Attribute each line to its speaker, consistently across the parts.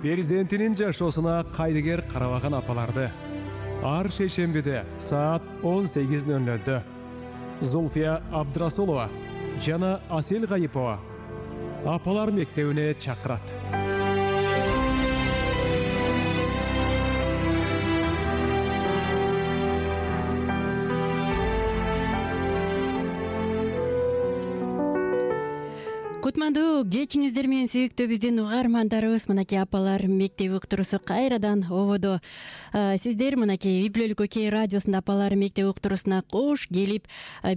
Speaker 1: перзентинин жашоосуна кайдыгер карабаган апаларды ар шейшембиде саат 18:00 Зульфия Абдрасулова жана Асел Гайипова апалар мектебине чакырат.
Speaker 2: Кутмандуу кечиңиздер менен сүйүктүү биздин угармандарыбыз, мынакей апалар мектеби уктуруусу кайрадан ободо. Сиздер мынакей үй бүлөлүк Окей радиосунда апалар мектеби уктуруусуна кош келип,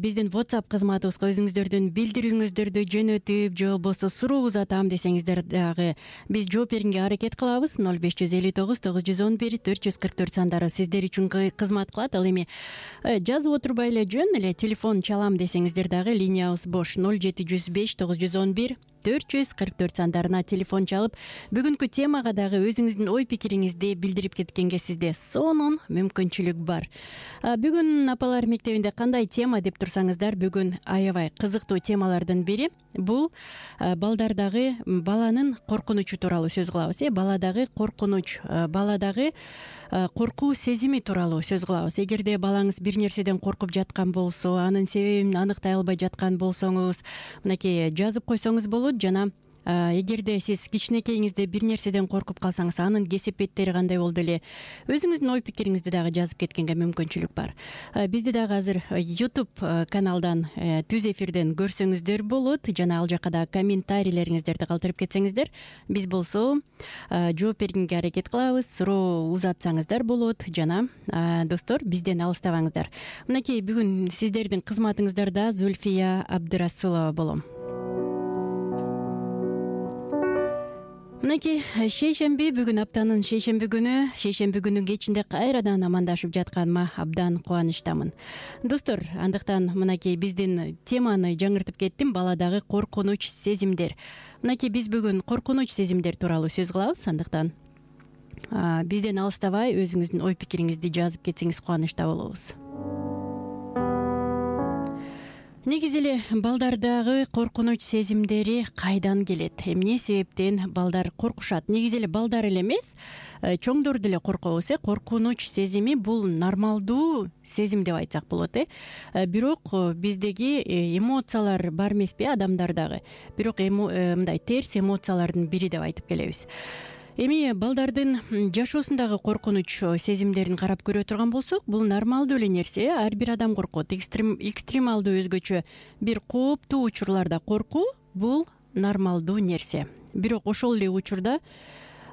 Speaker 2: биздин WhatsApp кызматыбызга өзүңүздөрдүн билдирүүңүздөрдү жөнөтүп, же болбосо суроо узатам десеңиздер дагы биз жооп бергенге аракет кылабыз. 0559 911 444 сандары сиздер үчүн кызмат кылат. Ал эми жазып отурбай эле жөн эле телефон чалам десеңиздер дагы линиябыз бош. 0705 911 444 сандарына телефон чалып, бүгүнкү темага дагы өзүңүздүн ой пикириңизди билдирип кеткенге сизде сонун мүмкүнчүлүк бар. Бүгүн апалар мектебинде кандай тема деп турсаңыздар, бүгүн аябай кызыктуу темалардын бири бул балдардагы баланын коркунучу тууралуу сөз кылабыз. Баладагы коркунуч, баладагы коркуу сезими тууралуу сөз кылабыз. Эгерде балаңыз бир нерседен коркуп жаткан болсо, анын себебин аныктай албай жаткан болсоңуз, мынакей жазып койсоңуз болот. Жана эгерде сиз кичинекейиңизде бир нерседен коркуп калсаңыз, анын кесепеттери кандай болду эле, өзүңүздүн ой пикириңизди дагы жазып кеткенге мүмкүнчүлүк бар. Бизди дагы азыр YouTube каналдан түз эфирден көрсөңүздөр болот. Жана ал жака да комментарийлериңиздерди калтырып кетсеңиздер, биз болсо жооп бергенге аракет кылабыз. Суроо узатсаңыздар болот. Жана достор, бизден алыстабаңыздар. Мынакей бүгүн сиздердин кызматыңыздарда Зульфия Абдрасулова болом. Мынакей шейшемби, бүгүн аптанын шейшемби күнү кечинде кайрадан амандашып жатканыма абдан кубанычтамын. Достор, андыктан мынакей биздин теманы жаңыртып кеттим, баладагы коркунуч сезимдер. Мынакей биз бүгүн коркунуч сезимдер тууралуу сөз кылабыз. Андыктан бизден алыстабай өзүңүздүн ой пикириңизди жазып кетсеңиз кубанычта болобуз. Негизи эле балдардагы коркунуч сезимдери кайдан келет? Эмне себептен балдар коркушат? Негизи эле балдар эле эмес, чоңдор деле коркобуз. Коркунуч сезими бул нормалдуу сезим деп айтсак болот. Бирок биздеги эмоциялар бар эмеспи адамдардагы? Бирок мындай терс эмоциялардын бири деп айтып келебиз. Эми балдардын жашоосундагы коркунуч сезимдерин карап көрө турган болсок, бул нормалдуу эле нерсе. Ар бир адам коркот. Экстремалдуу өзгөчө бир кооптуу учурларда коркуу бул нормалдуу нерсе. Бирок ошол эле учурда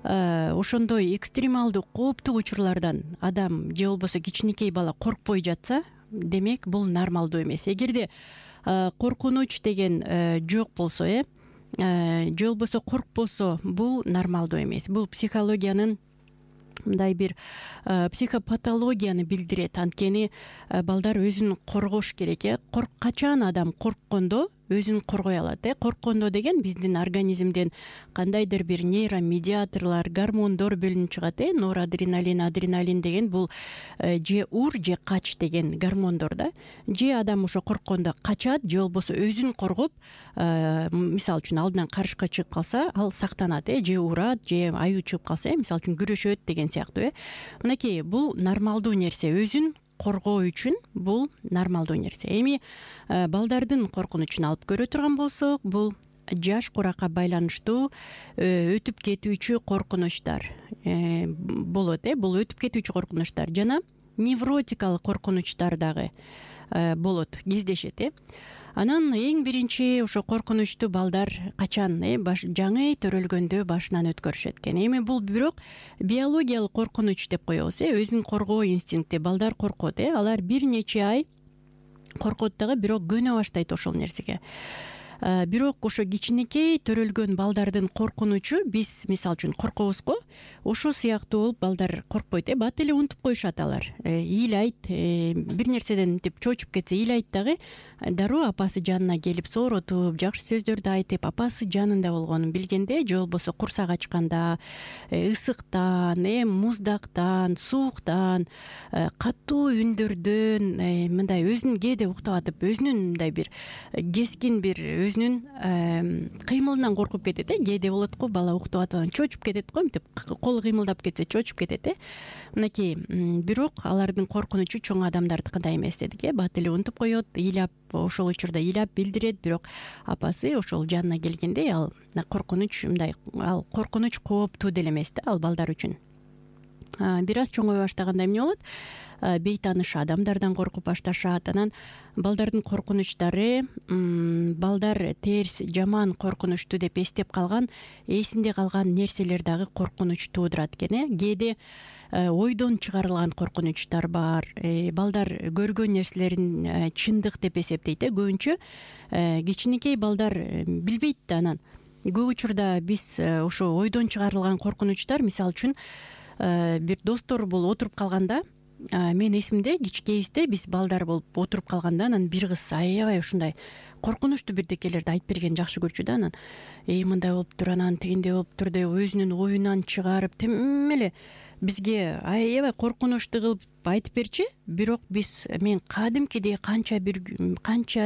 Speaker 2: ошондой экстремалдуу кооптуу учурлардан адам же болбосо кичинекей бала коркпой жатса, демек бул нормалдуу эмес. Эгерде коркунуч деген жок болсо, же болбосо коркпосо, бул нормалдуу эмес. Бул психологиянын мындай бир психопатологияны билдирет. Анткени балдар өзүн коргош керек. Качан адам корккондо өзүн коргой алат. Корккондо деген биздин организмден кандайдыр бир нейромедиаторлор, гормондор бөлүнүп чыгат. Норадреналин, адреналин деген бул же ур, же кач деген гормондор да. Же адам ошо корккондо качат, же болбосо өзүн коргоп, мисалы үчүн алдынан карышка чыгып калса, ал сактанат. Же урат, же аюу чыгып калса, мисалы үчүн күрөшөт деген сыяктуу. Мынакей бул нормалдуу нерсе. Өзүн коргоо үчүн бул нормалдуу нерсе. Эми балдардын коркунучун алып көрө турган болсок, бул жаш куракка байланыштуу өтүп кетүүчү коркунучтар болот. Бул өтүп кетүүчү коркунучтар жана невротикалык коркунучтар дагы болот, кездешет. Анан эң биринчи ошо коркунучту балдар качан жаңы төрөлгөндө башынан өткөрүшөт экен. Эми бул бирок биологиялык коркунуч деп коебуз. Өзүн коргоо инстинкти, балдар коркот. Алар бир нече ай коркот дагы, бирок көнө баштайт ошол нерсеге. Бирок ошо кичинекей төрөлгөн балдардын коркунучу, биз мисалы үчүн коркобуз го, ошо сыяктуу болуп балдар коркпойт. Бат эле унутуп коюшат алар. Ыйлайт, бир нерседен деп чочуп кетсе ыйлайт дагы, дароо апасы жанына келип сооротуп, жакшы сөздөрдү айтып, апасы жанында болгонун билгенде, же болбосо курсак ачканда, ысыктан, муздактан, сууктан, катуу үндөрдөн, мындай өзүн кээде уктап атып, өзүнүн мындай бир кескин бир өзүнүн кыймылынан коркуп кетет. Кээде болот го, бала уктап атып чочуп кетет го, мынтип колу кыймылдап кетсе чочуп кетет. Мынакей, бирок алардын коркунучу чоң адамдардыкындай эмес дедик. Бат эле унутуп коет, ыйлап, ошол учурда ыйлап билдирет, бирок апасы ошол жанына келгенде ал коркунуч ал коркунуч кооптуу деле эмес да ал балдар үчүн. Бир аз чоңой баштаганда эмне болот? Бейтааныш адамдардан коркуп башташат. Анан балдардын коркунучтары балдар терс, жаман, коркунучтуу деп эстеп калган, эсинде калган нерселер дагы коркунуч туудурат экен. Кээде ойдон чыгарылган коркунучтар бар. Балдар көргөн нерселерин чындык деп эсептейт. Көбүнчө кичинекей балдар билбейт да. Анан көп учурда биз ошо ойдон чыгарылган коркунучтар, мисалы үчүн бир достор болуп отуруп калганда, мен эсимде кичкейибизде биз балдар болуп отуруп калганда, анан бир кыз аябай ушундай коркунучтуу бирдекелерди айтып берген жакшы көрчү да. Анан мындай болуптур, анан тигиндей болуптур деп өзүнүн оюнан чыгарып тим эле бизге аябай коркунучтуу кылып айтып берчү. Бирок мен кадимкидей канча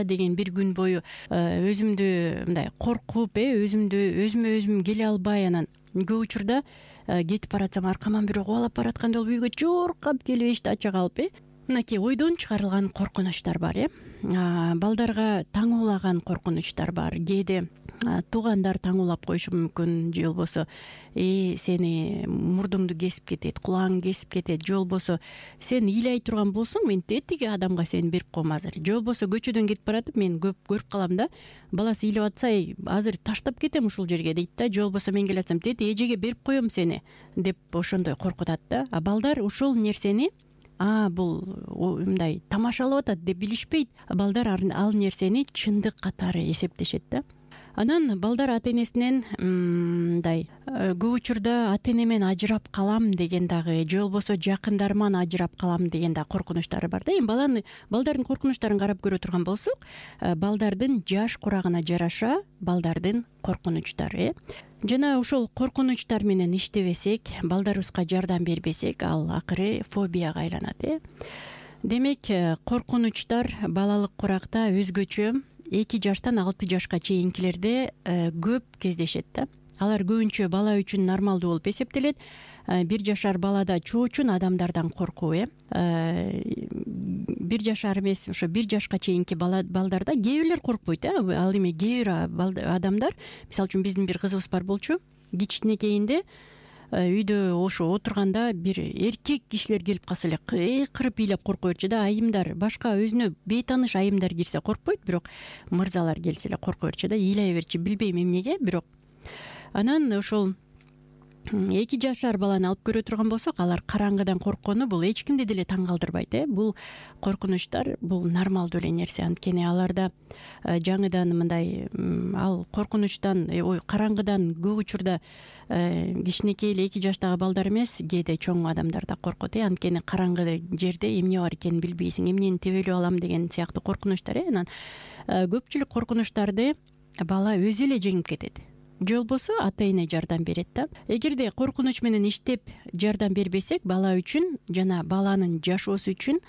Speaker 2: деген бир күн бою өзүмдү мындай коркуп, өзүмө өзүм келе албай, анан көп учурда кетип баратсам аркаман бирөө кубалап бараткандай болуп үйгө жоркап келип эшикти ача калып. Мынакей ойдон чыгарылган коркунучтар бар. Балдарга таңуулаган коркунучтар бар. Кээде туугандар таңуулап коюшу мүмкүн, же болбосо сени мурдуңду кесип кетет, кулагыңды кесип кетет, же болбосо сен ыйлай турган болсоң мен тиги адамга сени берип коем азыр, же болбосо көчөдөн кетип баратып мен көп көрүп калам да, баласы ыйлап атса азыр таштап кетем ушул жерге дейт да, же болбосо мен келатсам эжеге берип коем сени деп ошондой коркутат да. Балдар ушул нерсени бул мындай тамашалап атат деп билишпейт. Балдар ал нерсени чындык катары эсептешет да. Анан балдар ата энесинен мындай көп учурда ата энемен ажырап калам деген дагы, же болбосо жакындарыман ажырап калам деген дагы коркунучтары бар да. Эми балдардын коркунучтарын карап көрө турган болсок, балдардын жаш курагына жараша балдардын коркунучтары. Жана ошол коркунучтар менен иштебесек, балдарыбызга жардам бербесек, ал акыры фобияга айланат. Демек, коркунучтар балалык куракта өзгөчө 2 жаштан 6 жашка чейинкилерде көп кездешет да. Алар көбүнчө бала үчүн нормалдуу болуп эсептелет. 1 жашар балада чоочун адамдардан коркуу. 1 жашар эмес, ошо 1 жашка чейинки балдарда кээ бирлер коркпойт. Ал эми кээ бир адамдар, мисалы үчүн биздин бир кызыбыз бар болчу, кичинекейинде үйдө ошо отурганда бир эркек кишилер келип калса эле кыйкырып ыйлап корко берчү да. Айымдар, башка өзүнө бейтааныш айымдар кирсе коркпойт, бирок мырзалар келсе эле корко берчү да, ыйлай берчү, билбейм эмнеге, бирок анан ошол 2 жашар баланы алып көрө турган болсок, алар караңгыдан корккону бул эч кимди деле таң калтырбайт. Бул коркунучтар бул нормалдуу эле нерсе. Анткени аларда жаңыдан мындай ал коркунучтан, караңгыдан көп учурда кичинекей эле 2 жаштагы балдар эмес, кээде чоң адамдар да коркот. Анткени караңгы жерде эмне бар экенин билбейсиң, эмнени тебелеп алам деген сыяктуу коркунучтар. Анан көпчүлүк коркунучтарды бала өзү эле жеңип кетет. Же болбосо ата эне жардам берет да. Эгерде коркунуч менен иштеп жардам бербесек, бала үчүн жана баланын жашоосу үчүн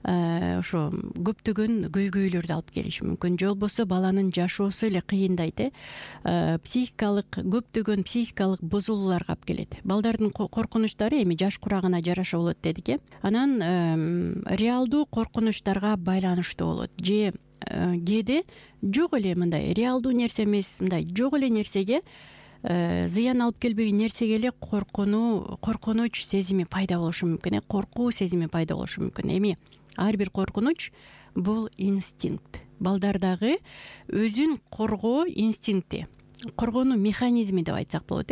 Speaker 2: ошо көптөгөн көйгөйлөрдү алып келиши мүмкүн. Же болбосо баланын жашоосу эле кыйындайт. Көптөгөн психикалык бузулууларга алып келет. Балдардын коркунучтары эми жаш курагына жараша болот дедик. Анан реалдуу коркунучтарга байланыштуу болот. Же кээде жок эле мындай реалдуу нерсе эмес, мындай жок эле нерсеге, зыян алып келбеген нерсеге эле коркунуч сезими пайда болушу мүмкүн. Коркуу сезими пайда болушу мүмкүн. Эми ар бир коркунуч бул инстинкт. Балдардагы өзүн коргоо инстинкти, коргонуу механизми деп айтсак болот.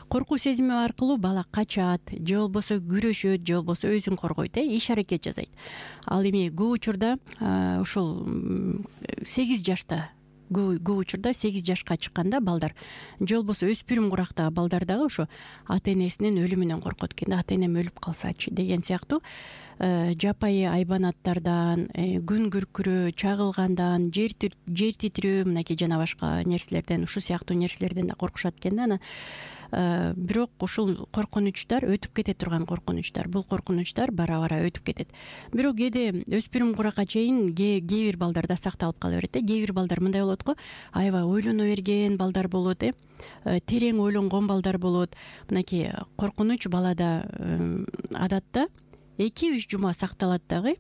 Speaker 2: Коркуу сезими аркылуу бала качат, же болбосо күрөшөт, же болбосо өзүн коргойт, иш аракет жасайт. Ал эми көп учурда ошол 8 жашта, көп учурда 8 жашка чыкканда балдар, же болбосо өспүрүм курактагы балдар дагы ошо ата энесинин өлүмүнөн коркот экен да. Ата энем өлүп калсачы деген сыяктуу жапайы айбанаттардан, күн күркүрөө, чагылгандан, жер титирөө, мынакей жана башка нерселерден, ушул сыяктуу нерселерден да коркушат экен да. Анан бирок ушул коркунучтар өтүп кете турган коркунучтар, бул коркунучтар бара бара өтүп кетет. Бирок кээде өспүрүм куракка чейин кээ бир балдарда сакталып кала берет. Кээ бир балдар мындай болот го, аябай ойлоно берген балдар болот, терең ойлонгон балдар болот. Мынакей коркунуч балада адатта 2-3 жума сакталат дагы.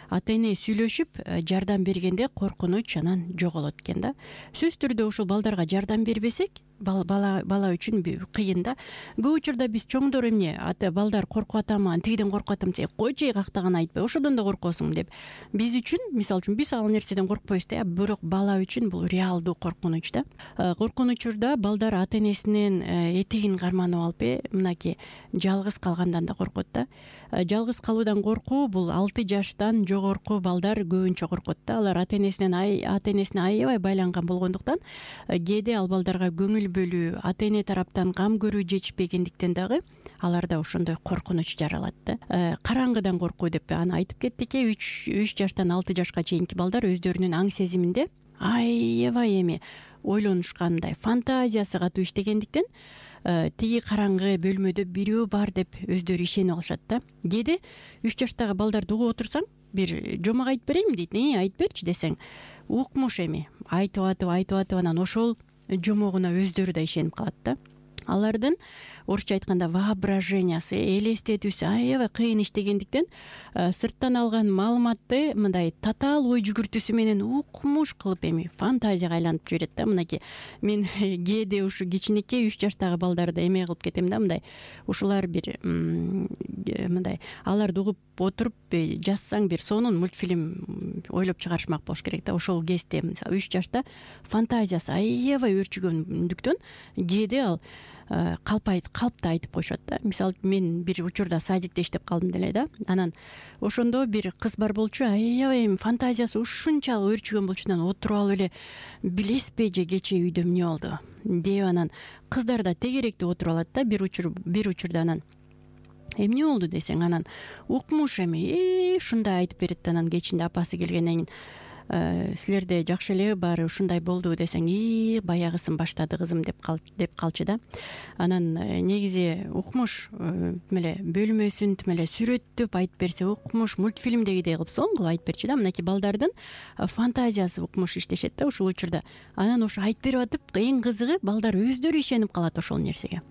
Speaker 2: Ата эне сүйлөшүп жардам бергенде коркунуч анан жоголот экен да. Сөзсүз түрдө ушул балдарга жардам бербесек, бала үчүн кыйын да. Көп учурда биз чоңдор эмне балдар коркуп атам, тигиден коркуп атам десе, койчу кактаган айтпай, ошодон да коркосуң деп. Биз үчүн, мисалы үчүн, биз ал нерседен коркпойбуз да, бирок бала үчүн бул реалдуу коркунуч да. Коркунучурда балдар ата энесинин этигин карманып алып, мынакей жалгыз калгандан да коркот да. Жалгыз калуудан коркуу бул 6 жаштан жогорку балдар көбүнчө коркот да. Алар ата энесине аябай байланган болгондуктан, кээде ал балдарга көңүл бөлүү, ата эне тараптан кам көрүү жетишпегендиктен дагы аларда ошондой коркунуч жаралат да. Караңгыдан коркуу деп аны айтып кеттик. 3 жаштан 6 жашка чейинки балдар өздөрүнүн аң сезиминде аябай эми ойлонушкандай, фантазиясы катуу иштегендиктен тиги караңгы бөлмөдө бирөө бар деп өздөрү ишенип алышат да. Кээде 3 жаштагы балдарды угуп отурсаң, бир жомок айтып берейин дейт, айтып берчи десең, укмуш эми айтып атып анан ошол жомогуна өздөрү да ишенип калат да. Алардын орусча айтканда воображениясы, элестетүүсү аябай кыйын иштегендиктен сырттан алган маалыматты мындай татаал ой жүгүртүүсү менен укмуш кылып эми фантазияга айлантып жиберет да. Мынакей мен кээде ушу кичинекей 3 жаштагы балдарды эме кылып кетем да, мындай ушулар бир мындай аларды угуп отуруп жазсаң бир сонун мультфильм ойлоп чыгарышмак болуш керек да. Ошол кезде мисалы 3 жашта фантазиясы аябай өрчүгөндүктөн кээде ал калпты айтып коюшат да. Мисалы мен бир учурда садикте иштеп калдым деле да. Анан ошондо бир кыз бар болчу, аябай фантазиясы ушунчалык өрчүгөн болчу, анан отуруп алып эле билесизби же кечээ үйдө эмне болду деп анан кыздар да тегеректеп отуруп алат да. Бир учурда анан эмне болду десең, анан укмуш эми ушундай айтып берет. Анан кечинде апасы келгенден кийин силерде жакшы эле баары ушундай болду десең, баягысын баштады кызым деп калчу да. Анан негизи укмуш эле бөлмөсүн эле сүрөттөп айтып берсе, укмуш мультфильмдегидей кылып сонун кылып айтып берчү да. Мынакей балдардын фантазиясы укмуш иштешет да ушул учурда. Анан ошо айтып берип атып, эң кызыгы балдар өздөрү ишенип калат ошол нерсеге.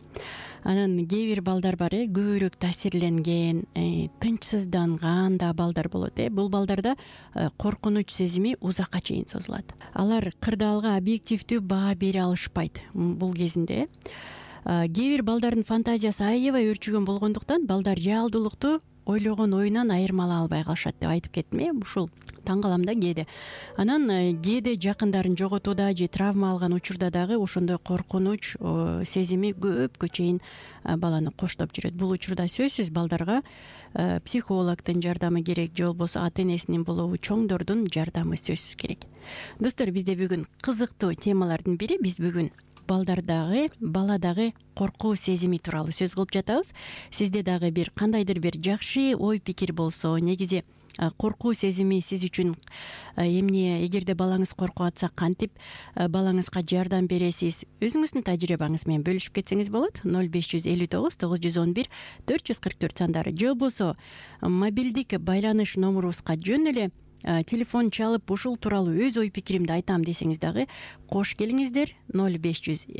Speaker 2: Анан кээ бир балдар бар, көбүрөөк таасирленген, тынчсызданган да балдар болот. Бул балдарда коркунуч сезими узакка чейин созулат. Алар кырдаалга объективдүү баа бере алышпайт бул кезинде. Кээ бир балдардын фантазиясы аябай өрчүгөн болгондуктан балдар реалдуулукту ойлогон оюнан айырмалай албай калышат деп айтып кеттим. Ушул таң калам да кээде. Анан кээде жакындарын жоготууда же травма алган учурда дагы ошондой коркунуч сезими көпкө чейин баланы коштоп жүрөт. Бул учурда сөзсүз балдарга психологдун жардамы керек, же болбосо ата энесинин болобу чоңдордун жардамы сөзсүз керек. Достор, бизде бүгүн кызыктуу темалардын бири, биз бүгүн баладагы коркуу сезими тууралуу сөз кылып жатабыз. Сизде дагы бир кандайдыр бир жакшы ой пикир болсо, негизи коркуу сезими сиз үчүн эмне, эгерде балаңыз коркуп атса кантип балаңызга жардам бересиз, өзүңүздүн тажрыйбаңыз менен бөлүшүп кетсеңиз болот. 0559 911 444 сандары, же болбосо мобилдик байланыш номурубузга жөн эле телефон чалып ушул тууралуу өз ой пикиримди айтам десеңиз дагы кош келиңиздер. 0559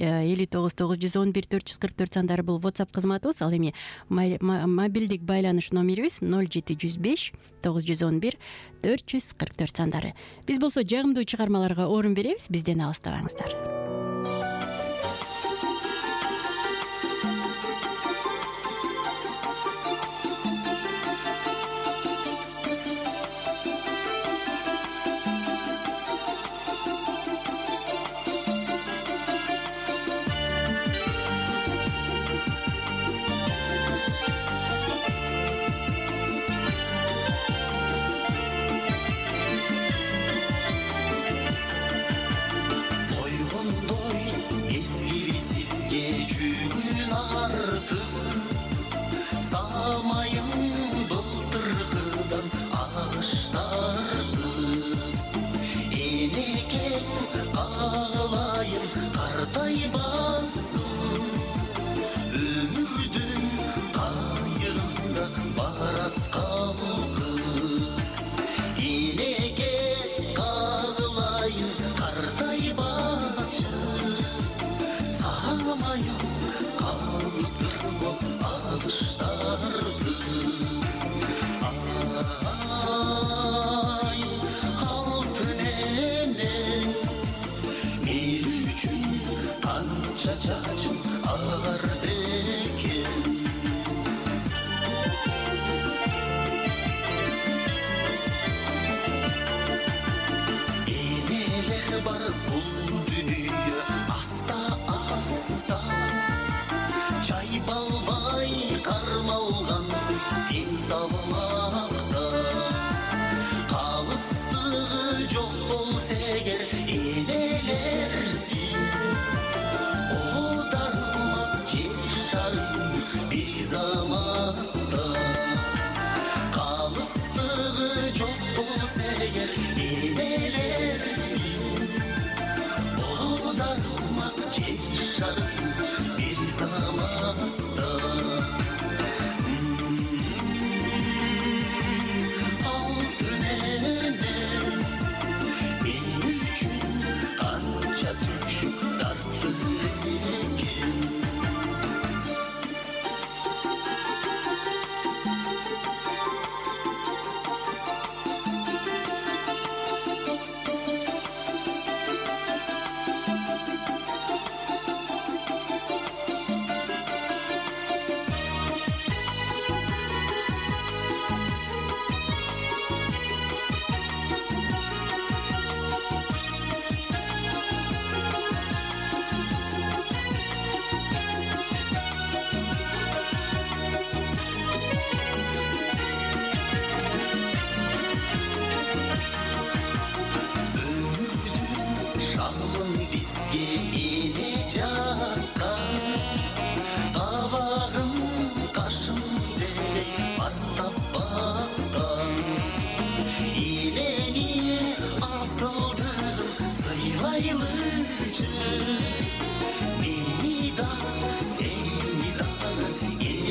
Speaker 2: 911 444 сандары бул WhatsApp кызматыбыз. Ал эми мобилдик байланыш номерибиз 0705 911 444 сандары. Биз болсо жагымдуу чыгармаларга орун беребиз, бизден алыстабаңыздар.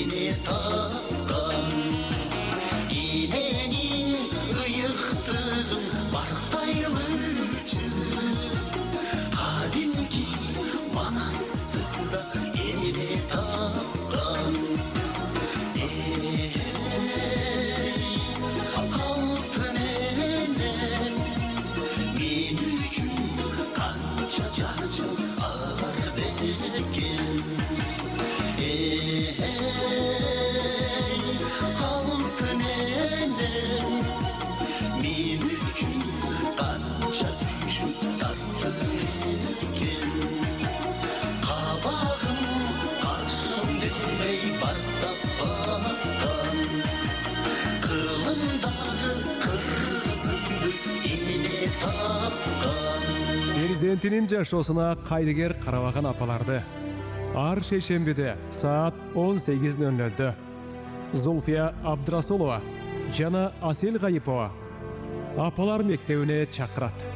Speaker 3: эне тапкан эненин ыйыктыгын барктайлычы кадимки манастыда эне тапкан алтын энем мен үчүн канча жашыл арды экен алтын энем мен үчүн канча түшүп тартты экен кабагым кашым демей бартап баккан кылымдагы кыргызымды эне тапкан.
Speaker 1: Перзентинин жашоосуна кайдыгер карабаган апаларды ар шейшембиде саат 18:00 Зулфия Абдрасулова жана Асел Гайипова апалар мектебине чакырат.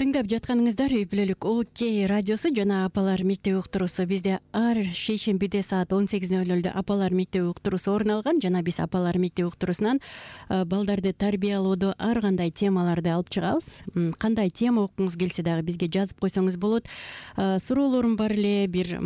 Speaker 2: Тыңдап жатканыңыздар үй бүлөлүк ОК радиосу жана апалар мектеби уктуруусу. Бизде ар шейшембиде саат 18:00 апалар мектеби уктуруусу орун алган жана биз апалар мектеби уктуруусунан балдарды тарбиялоодо ар кандай темаларды алып чыгабыз. Кандай тема окуңуз келсе дагы бизге жазып койсоңуз болот. Суроолорум бар эле, бир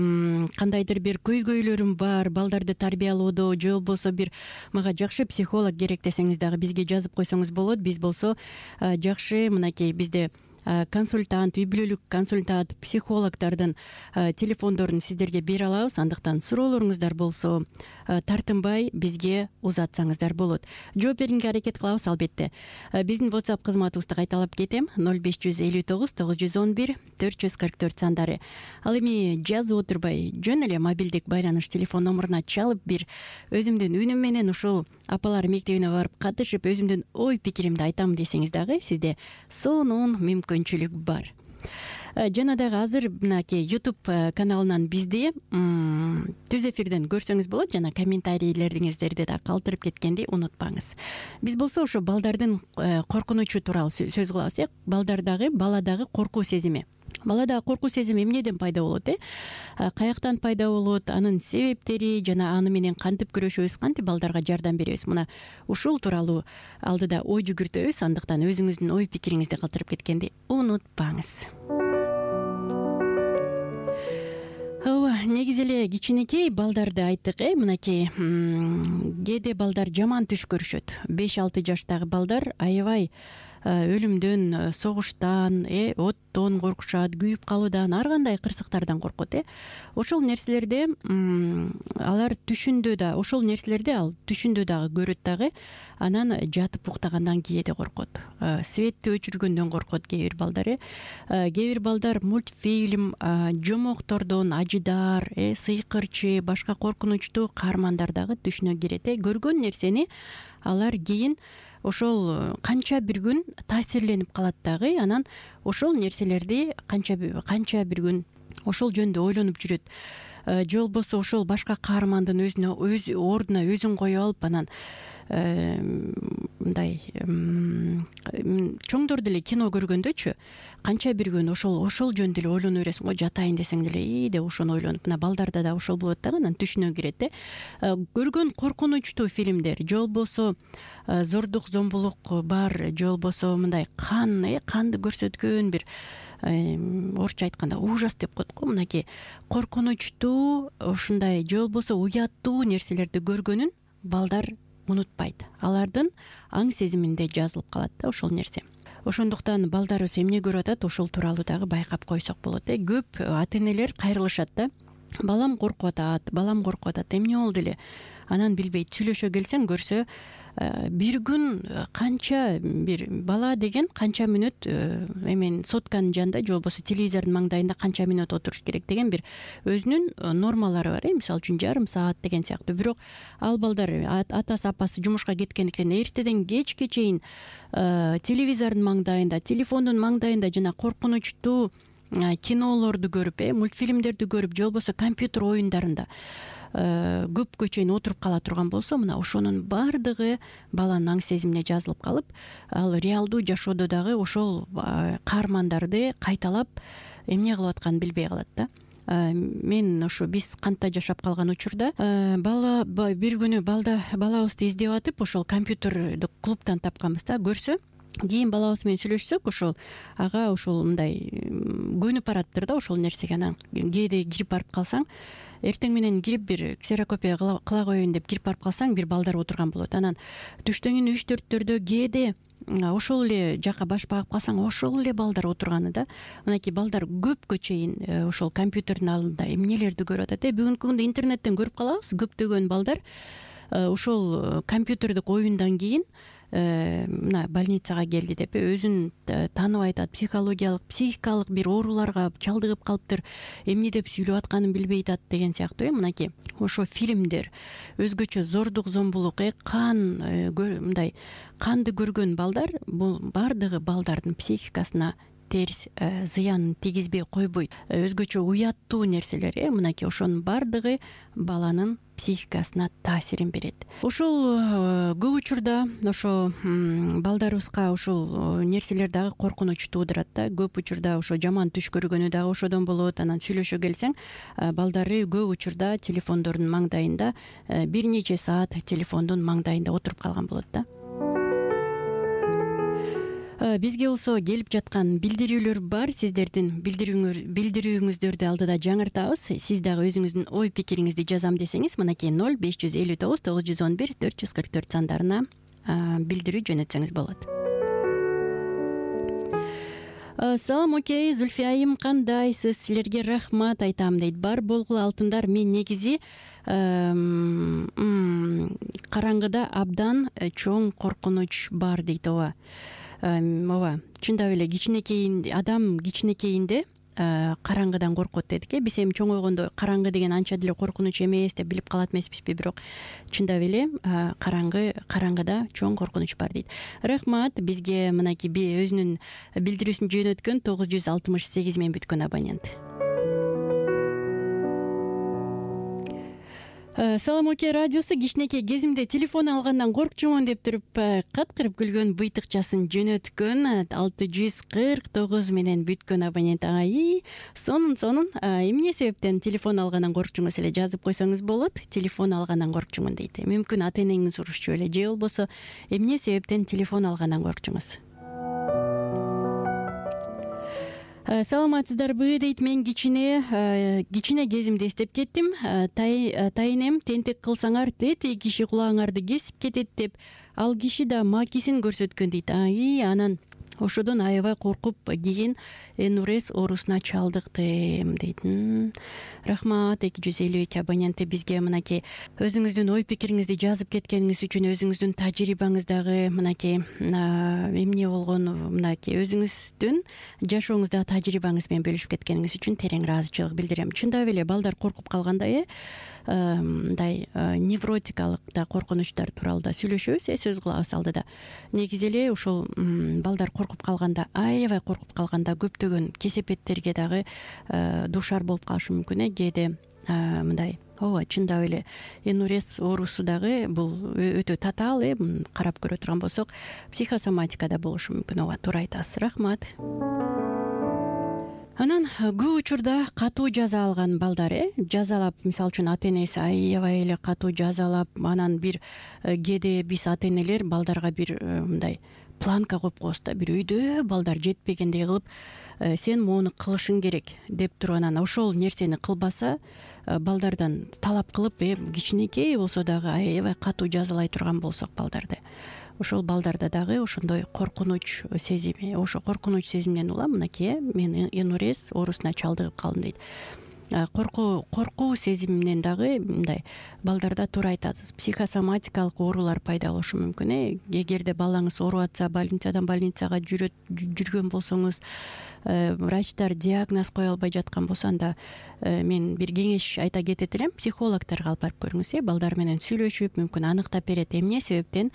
Speaker 2: кандайдыр бир көйгөйлөрүм бар балдарды тарбиялоодо, же болбосо бир мага жакшы психолог керек десеңиз дагы бизге жазып койсоңуз болот. Биз болсо жакшы мынакей бизде консультант, үй бүлөлүк консультант, психологдордун телефондорун сиздерге бере алабыз. Андыктан суроолоруңуздар болсо тартынбай бизге узатсаңыздар болот. Жооп берүүгө аракет кылабыз албетте. Биздин WhatsApp кызматыбызды кайталап кетем. 0559 911 444 сандары. Ал эми жазып отурбай жөн эле мобилдик байланыш телефон номуруна чалып бир өзүмдүн үнүм менен ушул апалар мектебине барып катышып өзүмдүн ой пикиримди айтам десеңиз дагы сизде сонун мүмкүнчүлүк бар. Жана дагы азыр мынакей YouTube каналынан бизди түз эфирден көрсөңүз болот жана комментарийлериңиздерди да калтырып кеткенди унутпаңыз. Биз болсо ошо балдардын коркунучу тууралуу сөз кылабыз. Балдардагы баладагы коркуу сезими. Балада коркуу сезими эмнеден пайда болот? Каяктан пайда болот? Анын себептери жана аны менен кантип күрөшөбүз, кантип балдарга жардам беребиз? Мына ушул тууралуу алдыда ой жүгүртөбүз. Андыктан өзүңүздүн ой пикириңизди калтырып кеткенди унутпаңыз. Негизи эле кичинекей балдарды айттык, мынакей кээде балдар жаман түш көрүшөт. 5-6 жаштагы балдар аябай өлүмдөн, согуштан, оттон коркушат, күйүп калуудан, ар кандай кырсыктардан коркот. Ошол нерселерди алар түшүндө да, ошол нерселерди ал түшүндө дагы көрөт дагы, анан жатып уктагандан кээде коркот. Светти өчүргөндөн коркот кээ бир балдар. Кээ бир балдар мультфильм, жомоктордон, ажыдар, сыйкырчы, башка коркунучтуу каармандар дагы түшүнө кирет. Көргөн нерсени алар кийин ошол канча бир күн таасирленип калат дагы, анан ошол нерселерди канча бир күн ошол жөнүндө ойлонуп жүрөт. Же болбосо ошол башка каармандын өз ордуна өзүн коюп алып, анан мындай чоңдор деле кино көргөндөчү канча бир күн ошол жөнүндө эле ойлоно бересиң го, жатайын десең деле деп ошону ойлонуп. Мына балдарда да ошол болот дагы, анан түшүнө кирет. Көргөн коркунучтуу фильмдер, же болбосо зордук, зомбулук бар, же болбосо мындай канды көрсөткөн бир орусча айтканда ужас деп коет го, мынакей коркунучтуу ушундай же болбосо уяттуу нерселерди көргөнүн балдар унутпайт. Алардын аң сезиминде жазылып калат да ошол нерсе. Ошондуктан балдарыбыз эмне көрүп атат, ошол тууралуу дагы байкап койсок болот. Көп ата-энелер кайрылышат да. Балам коркуп атат, эмне болду эле? Анан билбейт. Сүйлөшө келсең көрсө бир күн канча бир бала деген канча мүнөт сотканын жанында же болбосо телевизордун маңдайында канча мүнөт отуруш керек деген бир өзүнүн нормалары бар. Мисалы үчүн жарым саат деген сыяктуу. Бирок ал балдар атасы апасы жумушка кеткендиктен эртеден кечке чейин телевизордун маңдайында, телефондун маңдайында жана коркунучтуу кинолорду көрүп, мультфильмдерди көрүп, же болбосо компьютер оюндарында көпкө чейин отуруп кала турган болсо, мына ошонун баардыгы баланын аң сезимине жазылып калып, ал реалдуу жашоодо дагы ошол каармандарды кайталап эмне кылып атканын билбей калат да. Мен ошо биз кантта жашап калган учурда бала бир күнү балабызды издеп атып ошол компьютердик клубтан тапканбыз да. Көрсө кийин балабыз менен сүйлөшсөк, ошол ага ошол мындай көнүп бараттыр да ошол нерсеге. Анан кээде кирип барып калсаң, эртең менен кирип бир ксерокопия кыла коеюн деп кирип барып калсаң, бир балдар отурган болот. Анан түштөн кийин 3-4 кээде ошол эле жака баш багып калсаң, ошол эле балдар отурганы да. Мынакей балдар көпкө чейин ошол компьютердин алдында эмнелерди көрүп атат. Бүгүнкү күндө интернеттен көрүп калабыз, көптөгөн балдар ошол компьютердик оюндан кийин мына больницага келди деп өзүн таанып айтат, психикалык бир ооруларга чалдыгып калыптыр, эмне деп сүйлөп атканын билбей атат деген сыяктуу. Мынакей ошо фильмдер, өзгөчө зордук зомбулук, мындай канды көргөн балдар, бул баардыгы балдардын психикасына терс зыянын тийгизбей койбойт. Өзгөчө уяттуу нерселер, мынакей ошонун баардыгы баланын психикасына таасирин берет. Ошол көп учурда ошо балдарыбызга ошол нерселер дагы коркунуч туудурат да. Көп учурда ошо жаман түш көргөнү дагы ошодон болот. Анан сүйлөшө келсең, балдары көп учурда телефондордун маңдайында бир нече саат телефондун маңдайында отуруп калган болот да. Бизге болсо келип жаткан билдирүүлөр бар. Сиздердин билдирүүңүздөрдү алдыда жаңыртабыз. Сиз дагы өзүңүздүн ой пикириңизди жазам десеңиз, мынакей 0559 911 444 сандарына билдирүү жөнөтсөңүз болот. Салам, окей, Зульфия айым, кандайсыз? Силерге рахмат айтам дейт. Бар болгул алтындар, мен негизи караңгыда абдан чоң коркунуч бар дейт. Ооба, чындап эле адам кичинекейинде караңгыдан коркот дедик. Биз эми чоңойгондо караңгы деген анча деле коркунуч эмес деп билип калат эмеспизби, бирок чындап эле караңгыда чоң коркунуч бар дейт. Рахмат бизге мынакей өзүнүн билдирүүсүн жөнөткөн 968 менен бүткөн абонент. Салам, окей, радиосу кичинекей кезимде телефон алгандан коркчумун деп туруп каткырып күлгөн быйтыкчасын жөнөткөн 649 менен бүткөн абонент. Сонун эмне себептен телефон алгандан коркчуңуз эле жазып койсоңуз болот. Телефон алгандан коркчумун дейт. Мүмкүн ата-энеңиз урушчу эле, же болбосо эмне себептен телефон алгандан коркчуңуз? Саламатсыздарбы дейт. Мен кичине кезимде эстеп кеттим. Тайынем тентек кылсаңар тети киши кулагыңарды кесип кетет деп, ал киши да макисин көрсөткөн дейт. Анан ошодон аябай коркуп кийин энурез оорусуна чалдыктым дейт. Рахмат 252 абоненти бизге мынакей өзүңүздүн ой пикириңизди жазып кеткениңиз үчүн, өзүңүздүн тажрыйбаңыздагы мынакей эмне болгон, мынакей өзүңүздүн жашооңуздагы тажрыйбаңыз менен бөлүшүп кеткениңиз үчүн терең ыраазычылык билдирем. Чындап эле балдар коркуп калганда мындай невротикалык да коркунучтар тууралуу да сүйлөшөбүз. Сөз кылабыз алдыда. Негизи эле ошол балдар коркуп калганда, аябай коркуп калганда көптөгөн кесепеттерге дагы дуушар болуп калышы мүмкүн. Кээде мындай чындап эле энурез оорусу дагы бул өтө татаал, карап көрө турган болсок, психосоматикада болушу мүмкүн. Туура айтасыз. Рахмат. Анан көп учурда катуу жаза алган балдар жазалап, мисалы үчүн ата-энеси аябай эле катуу жазалап, анан бир кээде биз ата-энелер балдарга бир мындай планка коюп коебуз да, бир өйдө балдар жетпегендей кылып, сен моуну кылышың керек деп туруп, анан ошол нерсени кылбаса балдардан талап кылып, кичинекей болсо дагы аябай катуу жазалай турган болсок балдарды, ошол балдарда дагы ошондой коркунуч сезими, ошо коркунуч сезимден улам мынакей мен энурез оорусуна чалдыгып калдым дейт. Коркуу сезиминен дагы мындай балдарда, туура айтасыз, психосоматикалык оорулар пайда болушу мүмкүн. Эгерде балаңыз ооруп атса, больницадан больницага жүргөн болсоңуз, врачтар диагноз кое албай жаткан болсо, анда мен бир кеңеш айта кетет элем, психологторго алып барып көрүңүз. Балдар менен сүйлөшүп, мүмкүн аныктап берет эмне себептен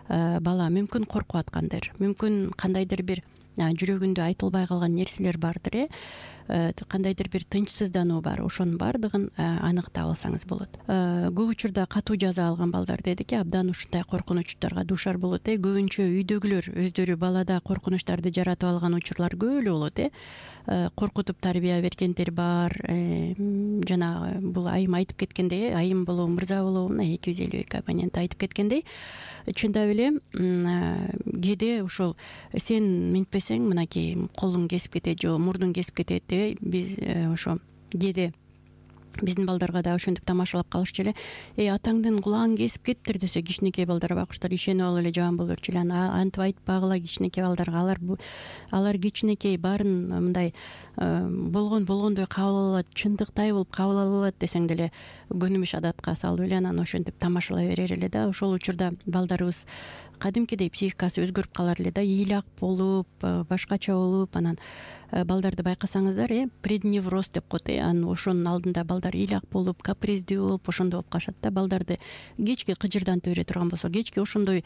Speaker 2: бала мүмкүн коркуп аткандыр, мүмкүн кандайдыр бир жүрөгүндө айтылбай калган нерселер бардыр, кандайдыр бир тынчсыздануу бар. Ошонун баардыгын аныктап алсаңыз болот. Көп учурда катуу жаза алган балдар дедик, абдан ушундай коркунучтарга дуушар болот. Көбүнчө үйдөгүлөр өздөрү балада коркунучтарды жаратып алган учурлар көп эле болот. Коркутуп тарбия бергендер бар. Жана бул айым айтып кеткендей, айым болобу мырза болобу, 252 абонент айтып кеткендей, чындап эле кээде ошол сен минтпесең мынакей колуң кесип кетет же мурдуң кесип кетет деп биз ошо кээде биздин балдарга да ошентип тамашалап калышчу эле. Атаңдын кулагын кесип кетиптир десе, кичинекей балдар байкуштар ишенип алып эле жаман болурчу эле. Антип айтпагыла кичинекей балдарга, алар кичинекей, баарын мындай болгондой кабыл алат, чындыктай болуп кабыл алат десең деле көнүмүш адатка салып эле анан ошентип тамашалай берер эле да. Ошол учурда балдарыбыз кадимкидей психикасы өзгөрүп калар эле да, ыйлак болуп, башкача болуп, анан балдарды байкасаңыздар, предневроз деп коет. Анан ошонун алдында балдар ыйлак болуп, каприздүү болуп, ошондой болуп калышат да. Балдарды кечки кыжырдантып бере турган болсо, кечки ошондой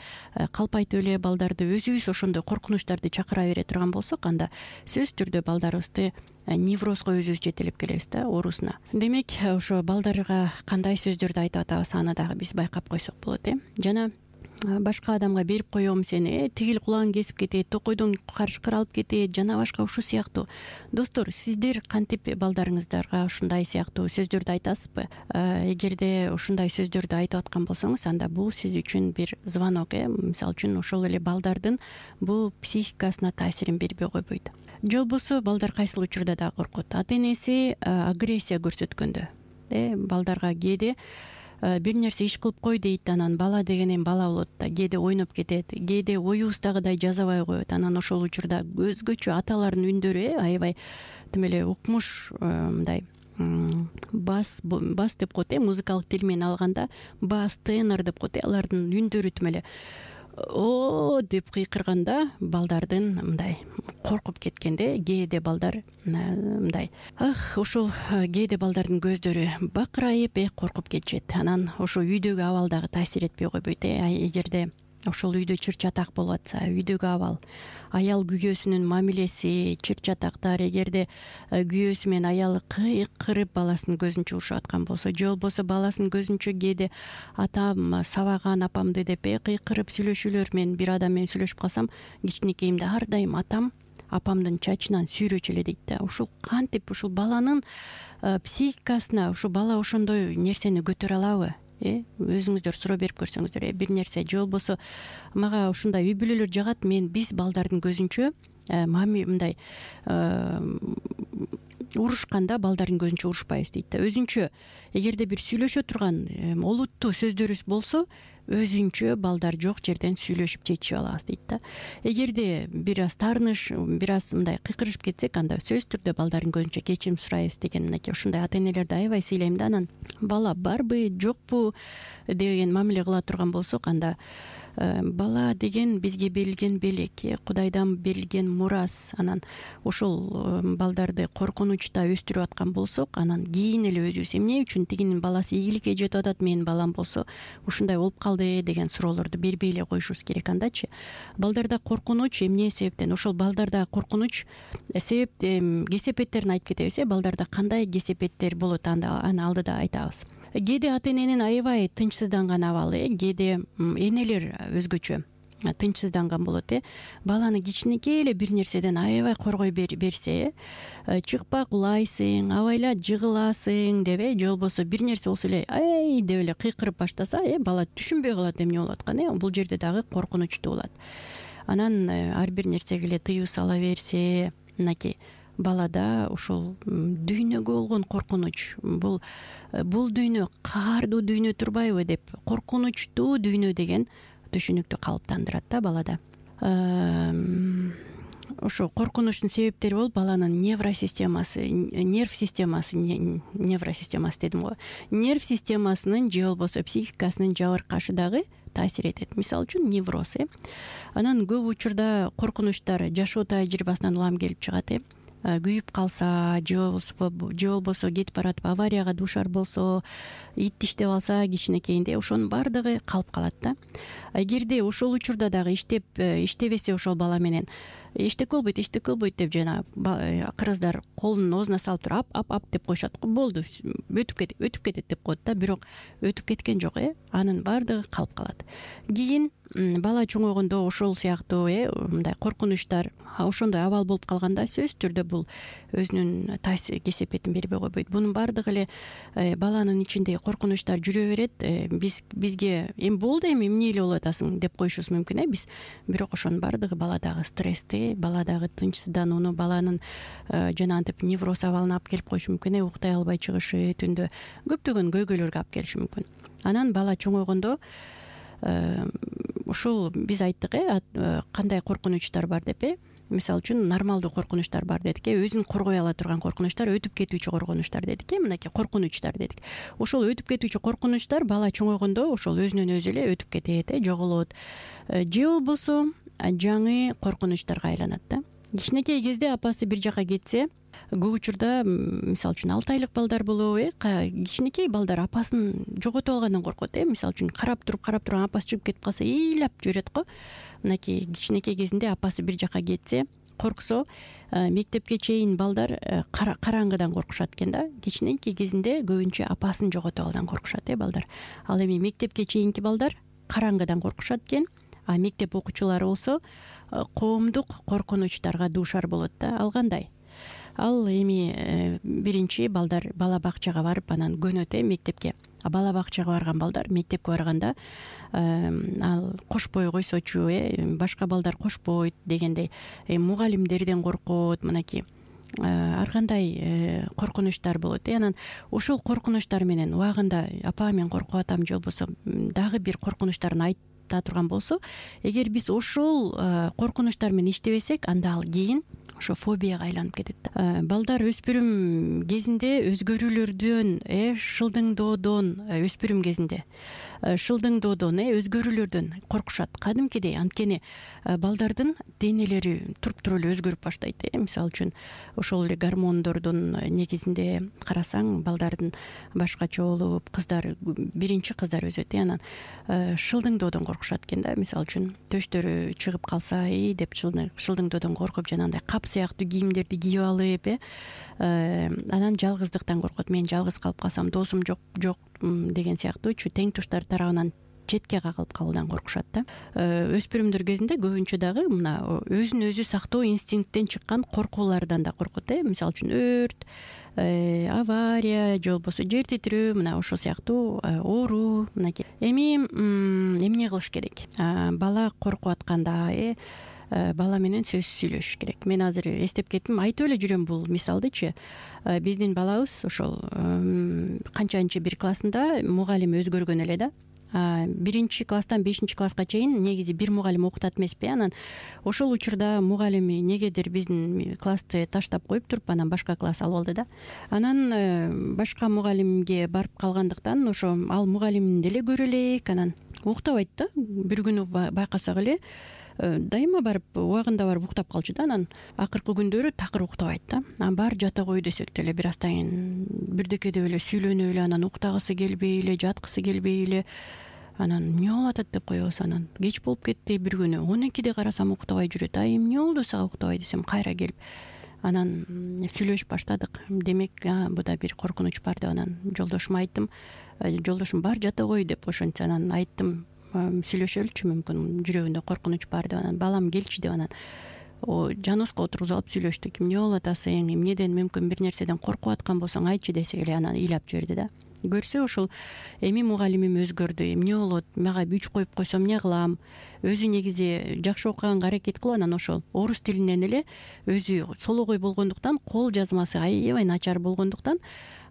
Speaker 2: калпайтып эле балдарды өзүбүз ошондой коркунучтарды чакыра бере турган болсок, анда сөзсүз түрдө балдарыбызды неврозго өзүбүз жетелеп келебиз да, оорусуна. Демек, ошо балдарга кандай сөздөрдү айтып атабыз, аны дагы биз байкап койсок болот. Жана башка адамга берип коем сени, тигил кулагың кесип кетет, токойдон карышкыр алып кетет, жана башка ушул сыяктуу. Достор, сиздер кантип балдарыңыздарга ушундай сыяктуу сөздөрдү айтасызбы? Эгерде ушундай сөздөрдү айтып аткан болсоңуз, анда бул сиз үчүн бир звонок. Мисалы үчүн ошол эле балдардын бул психикасына таасирин бербей койбойт. Же болбосо балдар кайсыл учурда дагы коркот? Ата энеси агрессия көрсөткөндө, балдарга кээде бир нерсе иш кылып кой дейт, анан бала деген эми бала болот да, кээде ойноп кетет, кээде оюбуздагыдай жазабай коет. Анан ошол учурда өзгөчө аталардын үндөрү аябай тим эле укмуш, мындай бас деп коет, музыкалык тил менен алганда бас, тенор деп коет. Алардын үндөрү тим эле о деп кыйкырганда балдардын мындай коркуп кеткенде, кээде балдар мындай ошол кээде балдардын көздөрү бакырайып коркуп кетишет. Анан ошо үйдөгү абал дагы таасир этпей койбойт. Эгерде ошол үйдө чыр чатак болуп атса, үйдөгү абал, аял күйөөсүнүн мамилеси, чыр чатактар, эгерде күйөөсү менен аялы кыйкырып баласынын көзүн чугушуп аткан болсо, же болбосо баласынын көзүнчө кээде атам сабаган апамды деп кыйкырып сүйлөшүүлөр, мен бир адам менен сүйлөшүп калсам, кичинекейимде ар дайым атам апамдын чачынан сүйрөчү эле дейт да. Ушул кантип ушул баланын психикасына ушу бала ошондой нерсени көтөрө алабы? Өзүңүздөр суроо берип көрсөңүздөр, бир нерсе же болбосо мага ушундай үй бүлөлөр жагат, биз балдардын көзүнчө мындай урушканда балдардын көзүнчө урушпайбыз дейт да. Өзүнчө эгерде бир сүйлөшө турган олуттуу сөздөрүбүз болсо, өзүнчө балдар жок жерден сүйлөшүп чечип алабыз дейт да. Эгерде бир аз таарыныш, бир аз мындай кыйкырышып кетсек, анда сөзсүз түрдө балдардын көзүнчө кечирим сурайбыз деген мынакей ушундай ата энелерди аябай сыйлайм да. Анан бала барбы, жокпу деген мамиле кыла турган болсок, анда бала деген бизге берилген белек, Кудайдан берилген мурас. Анан ошол балдарды коркунучта өстүрүп аткан болсок, анан кийин эле өзүбүз эмне үчүн тигинин баласы ийгиликке жетип атат, менин балам болсо ушундай болуп калды деген суроолорду бербей эле коюшубуз керек. Андачы балдарда коркунуч эмне себептен, ошол балдарда коркунуч себеп кесепеттерин айтып кетебиз. Балдарда кандай кесепеттер болот, аны алдыда айтабыз. Кээде ата эненин аябай тынчсызданган абалы, кээде энелер өзгөчө тынчсызданган болот. Баланы кичинекей эле бир нерседен аябай коргой берсе, чыкпа кулайсың, абайла жыгыласың деп, же болбосо бир нерсе болсо эле ай деп эле кыйкырып баштаса, бала түшүнбөй калат эмне болуп атканын. Бул жерде дагы коркунучтуу болот. Анан ар бир нерсеге эле тыюу сала берсе, мынакей балада ушул дүйнөгө болгон коркунуч, бул дүйнө каардуу дүйнө турбайбы деп коркунучтуу дүйнө деген түшүнүктү калыптандырат да балада. Ошо коркунучтун себептери болуп баланын нерв системасы дедим го. Нерв системасынын же болбосо психикасынын жабыркашы дагы таасир этет. Мисалы үчүн невроз. Анан көп учурда коркунучтар жашоо тажрыйбасынан улам келип чыгат. күйүп калса же болбосо кетип баратып аварияга дуушар болсо, ит тиштеп алса кичинекейинде ошонун баардыгы калып калат да. Эгерде ошол учурда дагы иштебесе ошол бала менен эчтеке болбойт деп жана кыргыздар колун оозуна салып туруп ап деп коюшат го, болду өтүп кетет деп коет да. Бирок өтүп кеткен жок, анын баардыгы калып калат. Кийин бала чоңойгондо ошол сыяктуу мындай коркунучтар, ошондой абал болуп калганда сөзсүз түрдө бул өзүнүн кесепетин бербей койбойт. Бунун баардыгы эле баланын ичиндеги коркунучтар жүрө берет. Бизге эми болду, эми эмне эле болуп атасың деп коюшубуз мүмкүн биз. Бирок ошонун баардыгы баладагы стрессти, баладагы тынчсызданууну, баланын жанагынтип невроз абалына алып келип коюшу мүмкүн. Уктай албай чыгышы, түндө көптөгөн көйгөйлөргө алып келиши мүмкүн. Анан бала чоңойгондо ушул биз айттык кандай коркунучтар бар деп. Мисалы үчүн нормалдуу коркунучтар бар дедик, өзүн коргой ала турган коркунучтар, өтүп кетүүчү коркунучтар дедик, мынакей коркунучтар дедик. Ошол өтүп кетүүчү коркунучтар бала чоңойгондо ошол өзүнөн өзү эле өтүп кетет, жоголот. Же болбосо жаңы коркунучтарга айланат да. Кичинекей кезде апасы бир жака кетсе, көп учурда мисалы үчүн 6 айлык балдар болобу, кичинекей балдар апасын жоготуп алгандан коркот. Мисалы үчүн карап турган апасы чыгып кетип калса ыйлап жүрөт го. Мынакей кичинекей кезинде апасы бир жака кетсе, корксо, мектепке чейин балдар караңгыдан коркушат экен да. Кичинекей кезинде көбүнчө апасын жоготуп алгандан коркушат балдар. Ал эми мектепке чейинки балдар караңгыдан коркушат экен, а мектеп окуучулары болсо коомдук коркунучтарга дуушар болот да. Ал кандай? Ал эми биринчи балдар бала бакчага барып анан көнөт мектепке. Бала бакчага барган балдар мектепке барганда ал кошпой койсочу, башка балдар кошпойт дегендей мугалимдерден коркот, мынакей ар кандай коркунучтар болот. Анан ошол коркунучтар менен убагында апа мен коркуп атам же болбосо дагы бир коркунучтарын айта турган болсо, эгер биз ошол коркунучтар менен иштебесек, анда ал кийин ошо фобияга айланып кетет да. Балдар өспүрүм кезинде өзгөрүүлөрдөн, шылдыңдоодон, өспүрүм кезинде шылдыңдоодон, өзгөрүүлөрдөн коркушат кадимкидей. Анткени балдардын денелери туруп эле өзгөрүп баштайт. Мисалы үчүн ошол эле гормондордун негизинде карасаң, балдардын башкача болуп, биринчи кыздар өсөт, анан шылдыңдоодон коркушат экен да. Мисалы үчүн төштөрү чыгып калса деп шылдыңдоодон коркуп, жанагындай кап сыяктуу кийимдерди кийип алып, анан жалгыздыктан коркот. Мен жалгыз калып калсам, досум жок деген сыяктуучу тең туштар тарабынан четке кагылып калуудан коркушат да. Өспүрүмдөр кезинде көбүнчө дагы мына өзүн өзү сактоо инстинкттен чыккан коркуулардан да коркот. Мисалы үчүн өрт, авария же болбосо жер титирөө, мына ошол сыяктуу оору. Мынакей эми эмне кылыш керек? Бала коркуп атканда бала менен сөзсүз сүйлөшүш керек. Мен азыр эстеп кеттим, айтып эле жүрөм бул мисалдычы. Биздин балабыз ошол канчанчы бир классында мугалим өзгөргөн эле да. 1-класстан 5-класска чейин негизи бир мугалим окутат эмеспи. Анан ошол учурда мугалими негедир биздин классты таштап коюп туруп, анан башка класс алып алды да. Анан башка мугалимге барып калгандыктан ошо ал мугалимди эле көрө элек, анан уктабайт да. Бир күнү байкасак эле дайыма барып убагында барып уктап калчу да. Анан акыркы күндөрү такыр уктабайт да. Анан баары жата кой десек деле бир аздан кийин бирдеке деп эле сүйлөнүп эле, анан уктагысы келбей эле, жаткысы келбей эле, анан эмне болуп атат деп коебуз. Анан кеч болуп кетти, бир күнү 12-де карасам уктабай жүрөт. Эмне болду сага уктабай десем, кайра келип анан сүйлөшүп баштадык. Демек бу да бир коркунуч бар деп анан жолдошума айттым. Жолдошум бар жата кой деп ошентсе, анан айттым сүйлөшөлүчү, мүмкүн жүрөгүндө коркунуч бар деп. Анан балам келчи деп анан жаныбызга отургузуп алып сүйлөштүк. Эмне болуп атасың, эмнеден, мүмкүн бир нерседен коркуп аткан болсоң айтчы десек эле, анан ыйлап жиберди да. Көрсө ошол эми мугалимим өзгөрдү, эмне болот, мага 3 коюп койсом эмне кылам, өзү негизи жакшы окуганга аракет кылып, анан ошол орус тилинен эле өзү сологой болгондуктан, кол жазмасы аябай начар болгондуктан,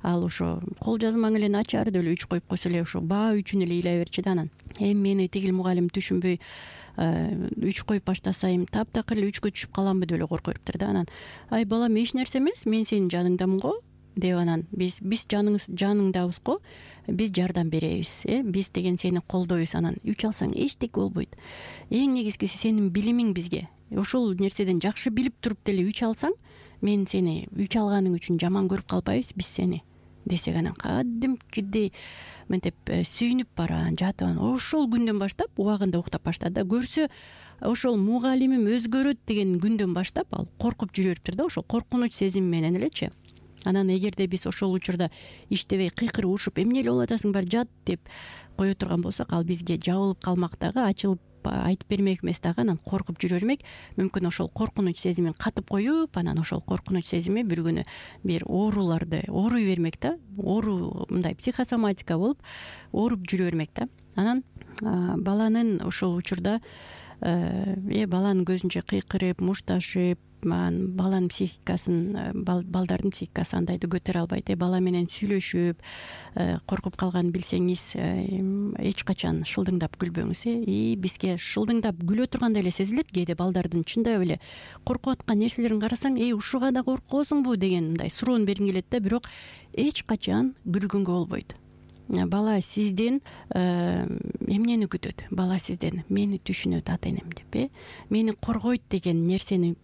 Speaker 2: ал ошо кол жазмаң эле начар деп эле 3 коюп койсо эле ошо баа үчүн эле ыйлай берчү да. Анан мени тигил мугалим түшүнбөй 3 коюп баштаса, таптакыр эле 3кө түшүп каламбы деп эле коркуп бериптир да. Анан балам, эч нерсе эмес, мен сенин жаныңдамын го деп, анан биз жаныңдабыз го, биз жардам беребиз, биз деген сени колдойбуз. Анан үч алсаң эчтеке болбойт. Эң негизгиси сенин билимиң бизге. Ошол нерседен жакшы билип туруп деле үч алсаң, мен сени үч алганың үчүн жаман көрүп калбайбыз биз сени десек, анан кадимкидей мынтип сүйүнүп баран жатып анан ошол күндөн баштап убагында уктап баштады да. Көрсө ошол мугалимим өзгөрөт деген күндөн баштап ал коркуп жүрө бериптир да, ошол коркунуч сезими менен элечи. Анан эгерде биз ошол учурда иштебей кыйкырып урушуп эмне эле болуп атасың, бар жат деп кое турган болсок, ал бизге жабылып калмак дагы, ачылып айтып бермек эмес дагы, анан коркуп жүрө бермек. Мүмкүн ошол коркунуч сезимин катып коюп, анан ошол коркунуч сезими бир күнү бир ооруларды ооруй бермек да, оору мындай психосоматика болуп ооруп жүрө бермек да. Анан баланын ошол учурда баланын көзүнчө кыйкырып мушташып, баланын психикасын, балдардын психикасы андайды көтөрө албайт. Бала менен сүйлөшүп коркуп калганын билсеңиз, эч качан шылдыңдап күлбөңүз. Бизге шылдыңдап күлө тургандай эле сезилет. Кээде балдардын чындап эле коркуп аткан нерселерин карасаң, ушуга да коркосуңбу деген мындай суроону бергиң келет да, бирок эч качан күлгөнгө болбойт. Бала сизден эмнени күтөт? Бала сизден мени түшүнөт ата энем деп, мени коргойт деген нерсени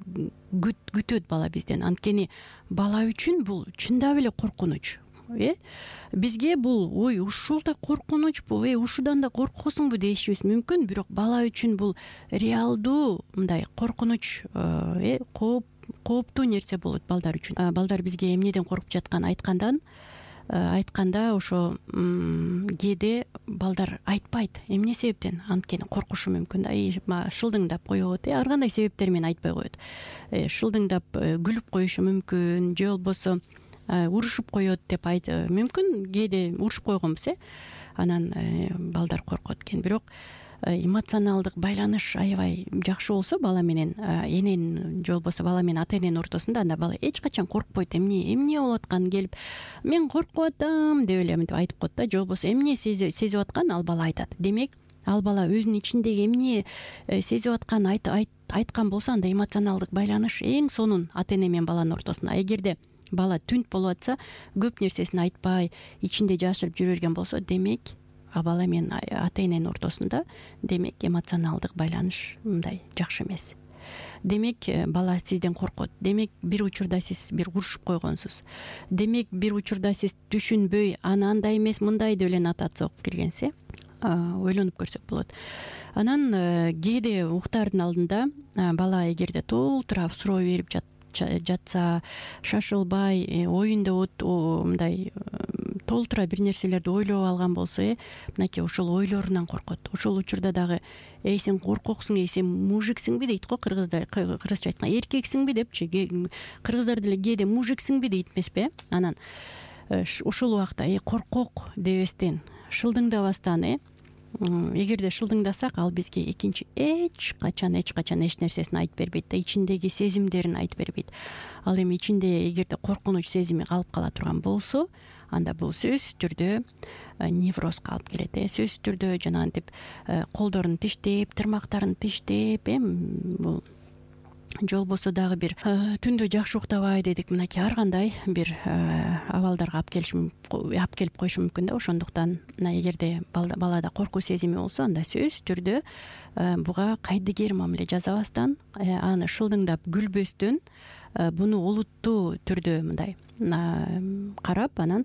Speaker 2: күтөт бала бизден. Анткени бала үчүн бул чындап эле коркунуч. Бизге бул ушул да коркунучпу, ушудан да коркосуңбу дешибиз мүмкүн, бирок бала үчүн бул реалдуу мындай коркунуч, кооптуу нерсе болот балдар үчүн. Балдар бизге эмнеден коркуп жатканын айтканда ошо кээде балдар айтпайт эмне себептен, анткени коркушу мүмкүн да, шылдыңдап коет, ар кандай себептер менен айтпай коет. Шылдыңдап күлүп коюшу мүмкүн, же болбосо урушуп коет деп мүмкүн, кээде урушуп койгонбуз, анан балдар коркот экен. Бирок эмоционалдык байланыш аябай жакшы болсо бала менен эненин, же болбосо бала менен ата эненин ортосунда, анда бала эч качан коркпойт. Эмне болуп атканын келип, мен коркуп атам деп эле мынтип айтып коет да, же болбосо эмне сезип атканын ал бала айтат. Демек, ал бала өзүнүн ичиндеги эмне сезип атканын айткан болсо, анда эмоционалдык байланыш эң сонун ата эне менен баланын ортосунда. Эгерде бала түнт болуп атса, көп нерсесин айтпай, ичинде жашырып жүрө берген болсо, демек бала менен ата эненин ортосунда демек эмоционалдык байланыш мындай жакшы эмес. Демек бала сизден коркот. Демек бир учурда сиз бир урушуп койгонсуз. Демек бир учурда сиз түшүнбөй, аны андай эмес мындай деп эле нотация окуп келгенсиз, ойлонуп көрсөк болот. Анан кээде уктаардын алдында бала эгерде толтура суроо берип жатса, шашылбай, оюнда мындай толтура бир нерселерди ойлоп алган болсо, мынакей ошол ойлорунан коркот. Ошол учурда дагы сен коркоксуң, сен мужиксиңби дейт го кыргызча айтканда, эркексиңби депчи. Кыргыздар деле кээде мужиксиңби дейт эмеспи? Анан ошол убакта коркок дебестен, шылдыңдабастан, эгерде шылдыңдасак, ал бизге экинчи эч качан эч нерсесин айтып бербейт да, ичиндеги сезимдерин айтып бербейт. Ал эми ичинде эгерде коркунуч сезими калып кала турган болсо, анда бул сөзсүз түрдө неврозго алып келет. Сөзсүз түрдө жанагынтип колдорун тиштеп, тырмактарын тиштеп, бул же болбосо дагы бир түндө жакшы уктабай дедик, мынакей ар кандай бир абалдарга алып келип коюшу мүмкүн да. Ошондуктан эгерде балада коркуу сезими болсо, анда сөзсүз түрдө буга кайдыгер мамиле жасабастан, аны шылдыңдап күлбөстөн, буну олуттуу түрдө мындай карап, анан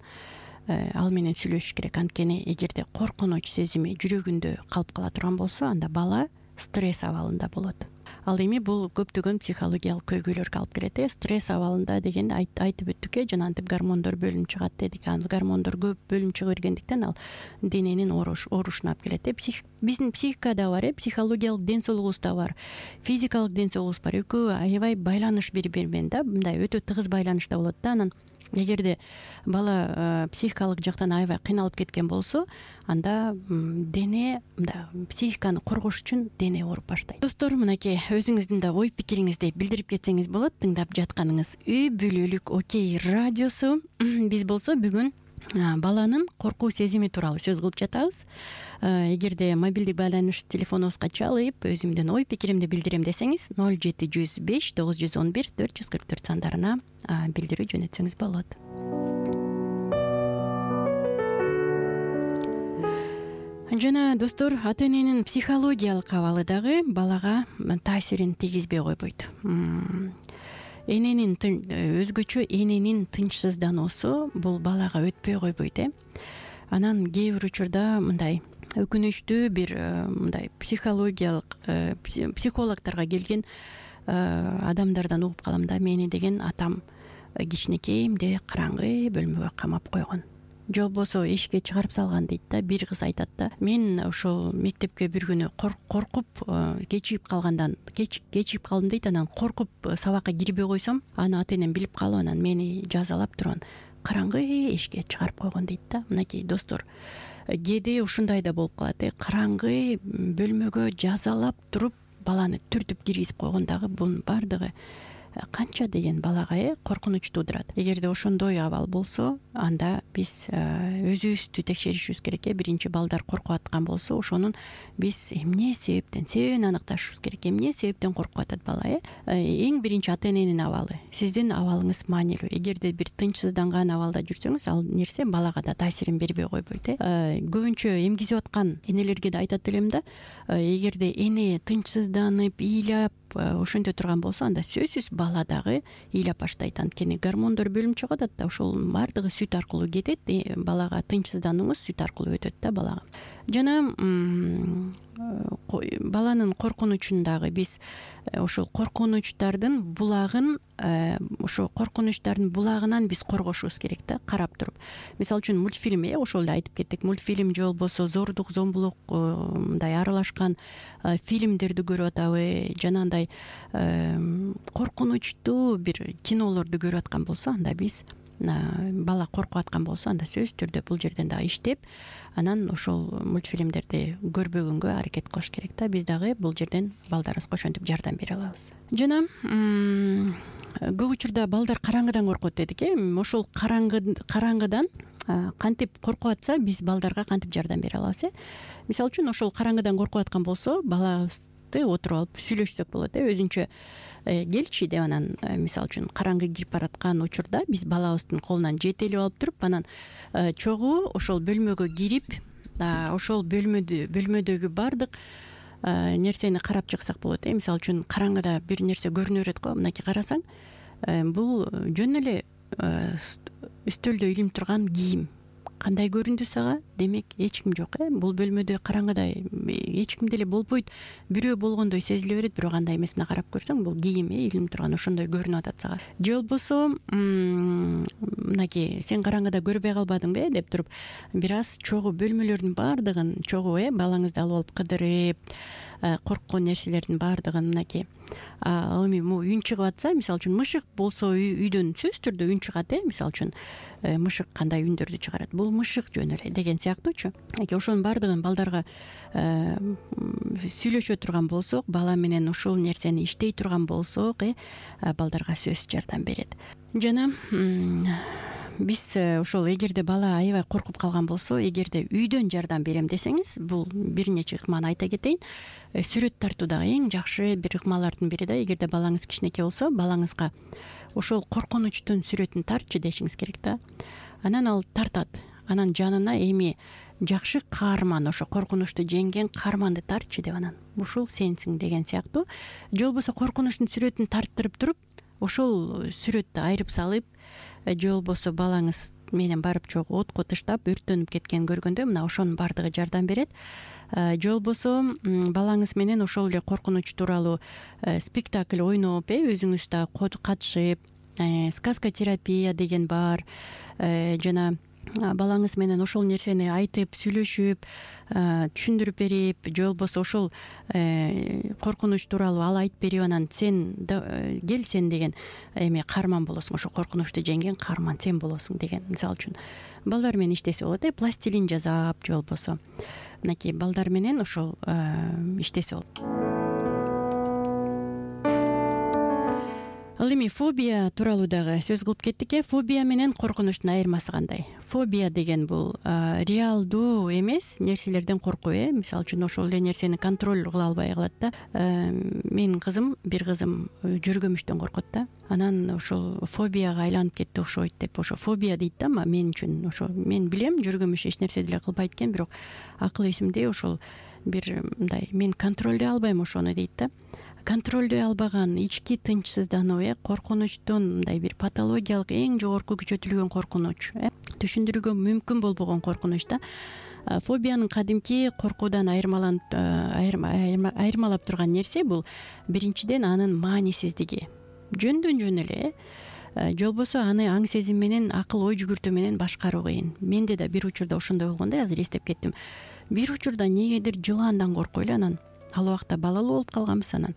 Speaker 2: ал менен сүйлөшүш керек. Анткени эгерде коркунуч сезими жүрөгүндө калып кала турган болсо, анда бала стресс абалында болот. Ал эми бул көптөгөн психологиялык көйгөйлөргө алып келет. Стресс абалында деген айтып өттүк, жанагынтип гормондор бөлүнүп чыгат дедик. Ал гормондор көп бөлүнүп чыга бергендиктен ал дененин оорушуна алып келет. Биздин психикада бар, психологиялык ден соолугубуз да бар, физикалык ден соолугубуз бар. Экөө аябай байланыш бири-бири менен да, мындай өтө тыгыз байланышта болот да. Анан эгерде бала психикалык жактан аябай кыйналып кеткен болсо, анда дене психиканы коргош үчүн дене ооруп баштайт. Достор, мынакей өзүңүздүн да ой пикириңизди билдирип кетсеңиз болот. Тыңдап жатканыңыз Үй бүлөлүк Окей радиосу. Биз болсо бүгүн баланын коркуу сезими тууралуу сөз кылып жатабыз. Эгерде мобилдик байланыш телефонубузга чалып, өзүмдүн ой пикиримди билдирем десеңиз, 0705 911 444 сандарына билдирүү жөнөтсөңүз болот. Жана достор, ата эненин психологиялык абалы дагы балага таасирин тийгизбей койбойт. өзгөчө эненин тынчсыздануусу бул балага өтпөй койбойт. Анан кээ бир учурда мындай өкүнүчтүү бир мындай психологиялык психологторго келген адамдардан угуп калам да, мени деген атам кичинекейимде караңгы бөлмөгө камап койгон же болбосо эшикке чыгарып салган дейт да. Бир кыз айтат да, мен ошол мектепке бир күнү коркуп кечигип калдым дейт. Анан коркуп сабакка кирбей койсом, аны ата энем билип калып, анан мени жазалап туруп караңгы эшикке чыгарып койгон дейт да. Мынакей достор, кээде ушундай да болуп калат. Караңгы бөлмөгө жазалап туруп баланы түртүп киргизип койгон дагы бунун баардыгы канча деген балага коркунуч туудурат. Эгерде ошондой абал болсо, анда биз өзүбүздү текшеришибиз керек. Биринчи, балдар коркуп аткан болсо, ошонун биз эмне себебин аныкташыбыз керек. Эмне себептен коркуп атат бала? Эң биринчи ата эненин абалы, сиздин абалыңыз маанилүү. Эгерде бир тынчсызданган абалда жүрсөңүз, ал нерсе балага да таасирин бербей койбойт. Көбүнчө эмгизип аткан энелерге да айтат элем да, эгерде эне тынчсызданып, ыйлап ошентө турган болсо, анда сөзсүз бала дагы ыйлап баштайт. Анткени гормондор бөлүнүп чыгып атат да, ошол баардыгы сүт аркылуу кетет. Балага тынчсызданууңуз сүт аркылуу өтөт да балага. Жана баланын коркунучун дагы биз ошол коркунучтардын булагын, ошо коркунучтардын булагынан биз коргошубуз керек да, карап туруп. Мисалы үчүн мультфильм, ошол эле айтып кеттик, мультфильм же болбосо зордук, зомбулук мындай аралашкан фильмдерди көрүп атабы, жанагындай коркунучтуу бир кинолорду көрүп аткан болсо, анда биз бала коркуп аткан болсо, анда сөзсүз түрдө бул жерден дагы иштеп, анан ошол мультфильмдерди көрбөгөнгө аракет кылыш керек да. Биз дагы бул жерден балдарыбызга ошентип жардам бере алабыз. Жана көп учурда балдар караңгыдан коркот дедик. Ошол караңгыдан кантип коркуп атса, биз балдарга кантип жардам бере алабыз? Мисалы үчүн, ошол караңгыдан коркуп аткан болсо, балабызды отуруп алып сүйлөшсөк болот. Өзүнчө келчи деп, анан мисалы үчүн караңгы кирип бараткан учурда биз балабыздын колунан жетелеп алып туруп, анан чогуу ошол бөлмөгө кирип, ошол бөлмөдөгү баардык нерсени карап чыксак болот. Мисалы үчүн, караңгыда бир нерсе көрүнө берет го. Мынакей карасаң, бул жөн эле үстөлдө илинип турган кийим. Кандай көрүндү сага? Демек, эч ким жок. Бул бөлмөдө караңгыда эч ким деле болбойт. Бирөө болгондой сезиле берет, бирок андай эмес. Мына карап көрсөң, бул кийим илинип турган, ошондой көрүнүп атат сага. Же болбосо, мынакей сен караңгыда көрбөй калбадыңбы деп туруп, бир аз чогуу бөлмөлөрдүн баардыгын чогуу балаңызды алып алып кыдырып, корккон нерселердин баардыгын мынакей эми үн чыгып атса, мисалы үчүн мышык болсо үйдөн сөзсүз түрдө үн чыгат. Мисалы үчүн, мышык кандай үндөрдү чыгарат? Бул мышык жөн эле деген сыяктуучу. Ошонун баардыгын балдарга сүйлөшө турган болсок, бала менен ушул нерсени иштей турган болсок, балдарга сөзсүз жардам берет. Жана биз ошол, эгерде бала аябай коркуп калган болсо, эгерде үйдөн жардам берем десеңиз, бул бир нече ыкманы айта кетейин. Сүрөт тартуу дагы эң жакшы бир ыкмалардын бири да. Эгерде балаңыз кичинекей болсо, балаңызга ошол коркунучтун сүрөтүн тартчы дешиңиз керек да. Анан ал тартат. Анан жанына эми жакшы каарман, ошо коркунучту жеңген каарманды тартчы деп, анан ушул сенсиң деген сыяктуу. Же болбосо коркунучтун сүрөтүн тарттырып туруп, ошол сүрөттү айырып салып, же болбосо балаңыз менен барып чогуу отко тыштап өрттөнүп кеткен көргөндө, мына ошонун баардыгы жардам берет. Же болбосо балаңыз менен ошол эле коркунуч тууралуу спектакль ойноп, өзүңүз да катышып, сказка терапия деген бар. Жана балаңыз менен ошол нерсени айтып, сүйлөшүп, түшүндүрүп берип, же болбосо ошол коркунуч тууралуу ал айтып берип, анан сен кел, сен деген эме каарман болосуң, ошо коркунучту жеңген каарман сен болосуң деген. Мисалы үчүн, балдар менен иштесе болот. Пластилин жасап, же болбосо мынакей балдар менен ошол иштесе болот. Ал эми фобия тууралуу дагы сөз кылып кеттик. Фобия менен коркунучтун айырмасы кандай? Фобия деген бул реалдуу эмес нерселерден коркуу. Мисалы үчүн, ошол эле нерсени контроль кыла албай калат да. Менин бир кызым жүргөмүштөн коркот да. Анан ошол фобияга айланып кетти окшойт деп, ошо фобия дейт да. Мен үчүн ошо, мен билем, жүргөмүш эч нерсе деле кылбайт экен, бирок акыл эсимде ошол бир мындай, мен контролдой албайм ошону дейт да. контролдой албаган ички тынчсыздануу, коркунучтун мындай бир патологиялык эң жогорку күчөтүлгөн коркунуч, түшүндүрүүгө мүмкүн болбогон коркунуч да. Фобиянын кадимки коркуудан айырмалап турган нерсе бул биринчиден анын маанисиздиги. Жөндөн жөн эле, же болбосо аны аң сезим менен, акыл ой жүгүртүү менен башкаруу кыйын. Менде да бир учурда ошондой болгон да, азыр эстеп кеттим. Бир учурда эмнегедир жылаандан коркой эле, анан ал убакта балалуу болуп калганбыз, анан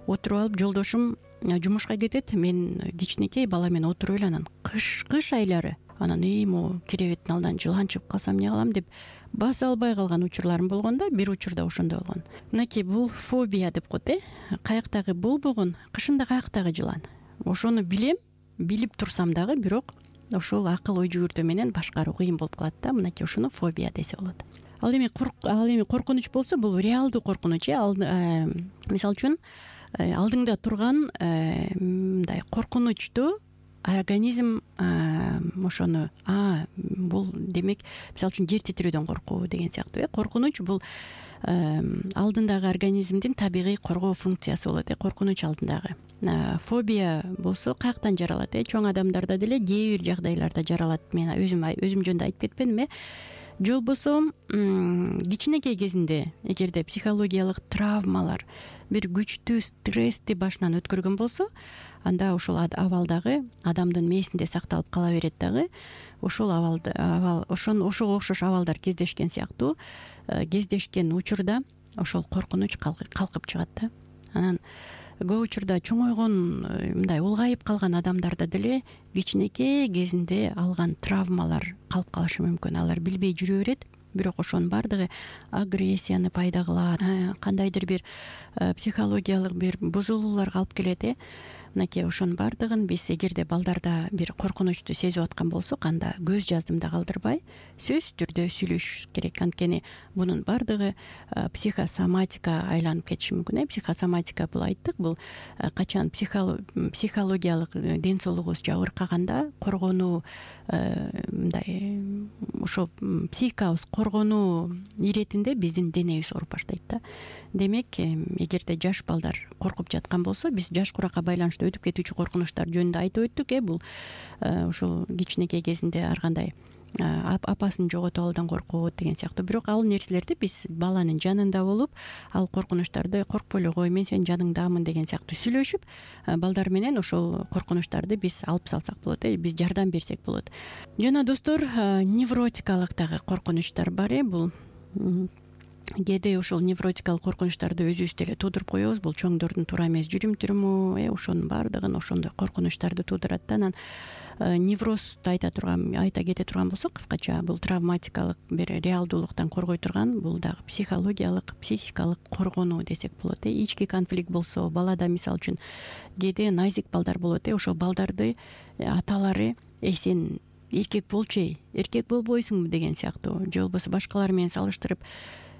Speaker 2: отуруп алып жолдошум жумушка кетет, мен кичинекей бала менен отуруп эле, анан кыш айлары анан могу киребеттин алдынан жылаан чыгып калсам эмне кылам деп баса албай калган учурларым болгон да. Бир учурда ошондой болгон. Мынакей бул фобия деп коет, каяктагы болбогон, кышында каяктагы жылаан. Ошону билем, билип турсам дагы, бирок ошол акыл ой жүгүртүү менен башкаруу кыйын болуп калат да. Мынакей ушуну фобия десе болот. Ал эми коркунуч болсо, бул реалдуу коркунуч. Мисалы үчүн алдыңда турган мындай коркунучту организм ошону бул демек мисалы үчүн жер титирөөдөн коркуу деген сыяктуу. Коркунуч бул алдындагы организмдин табигый коргоо функциясы болот. Коркунуч алдындагы. Фобия болсо каяктан жаралат? Чоң адамдарда деле кээ бир жагдайларда жаралат. Мен өзүм жөнүндө айтып кетпедимби? Же болбосо кичинекей кезинде эгерде психологиялык травмалар, бир күчтүү стрессти башынан өткөргөн болсо, анда ошол абалдагы адамдын мээсинде сакталып кала берет дагы. Ошол ошого окшош абалдар кездешкен сыяктуу, кездешкен учурда ошол коркунуч калкып чыгат да. Анан көп учурда чоңойгон, мындай улгайып калган адамдарда деле кичинекей кезинде алган травмалар калып калышы мүмкүн. Алар билбей жүрө берет, бирок ошонун баардыгы агрессияны пайда кылат, кандайдыр бир психологиялык бир бузулууларга алып келет. Мынакей ошонун баардыгын биз эгерде балдарда бир коркунучту сезип аткан болсок, анда көз жаздымда калтырбай сөзсүз түрдө сүйлөшүш керек. Анткени бунун баардыгы психосоматика айланып кетиши мүмкүн. Психосоматика бул айттык, бул качан психологиялык ден соолугубуз жабыркаганда коргонуу, мындай ошо психикабыз коргонуу иретинде биздин денебиз ооруп баштайт да. Демек, эгерде жаш балдар коркуп жаткан болсо, биз жаш куракка байланыштуу өтүп кетүүчү коркунучтар жөнүндө айтып өттүк. Бул ошол кичинекей кезинде ар кандай апасын жоготуп алуудан коркот деген сыяктуу. Бирок ал нерселерди биз баланын жанында болуп, ал коркунучтарды коркпой эле кой, мен сенин жаныңдамын деген сыяктуу сүйлөшүп, балдар менен ошол коркунучтарды биз алып салсак болот, биз жардам берсек болот. Жана достор, невротикалык дагы коркунучтар бар. Бул кээде ошол невротикалык коркунучтарды өзүбүз деле туудуруп коебуз. Бул чоңдордун туура эмес жүрүм-туруму, ошонун баардыгын ошондой коркунучтарды туудурат да. Анан неврозду айта кете турган болсок, кыскача бул травматикалык бир реалдуулуктан коргой турган, бул дагы психологиялык, психикалык коргонуу десек болот. Ички конфликт болсо, балада мисалы үчүн кээде назик балдар болот. Ошол балдарды аталары сен эркек болчу, эркек болбойсуңбу деген сыяктуу, же болбосо башкалар менен салыштырып,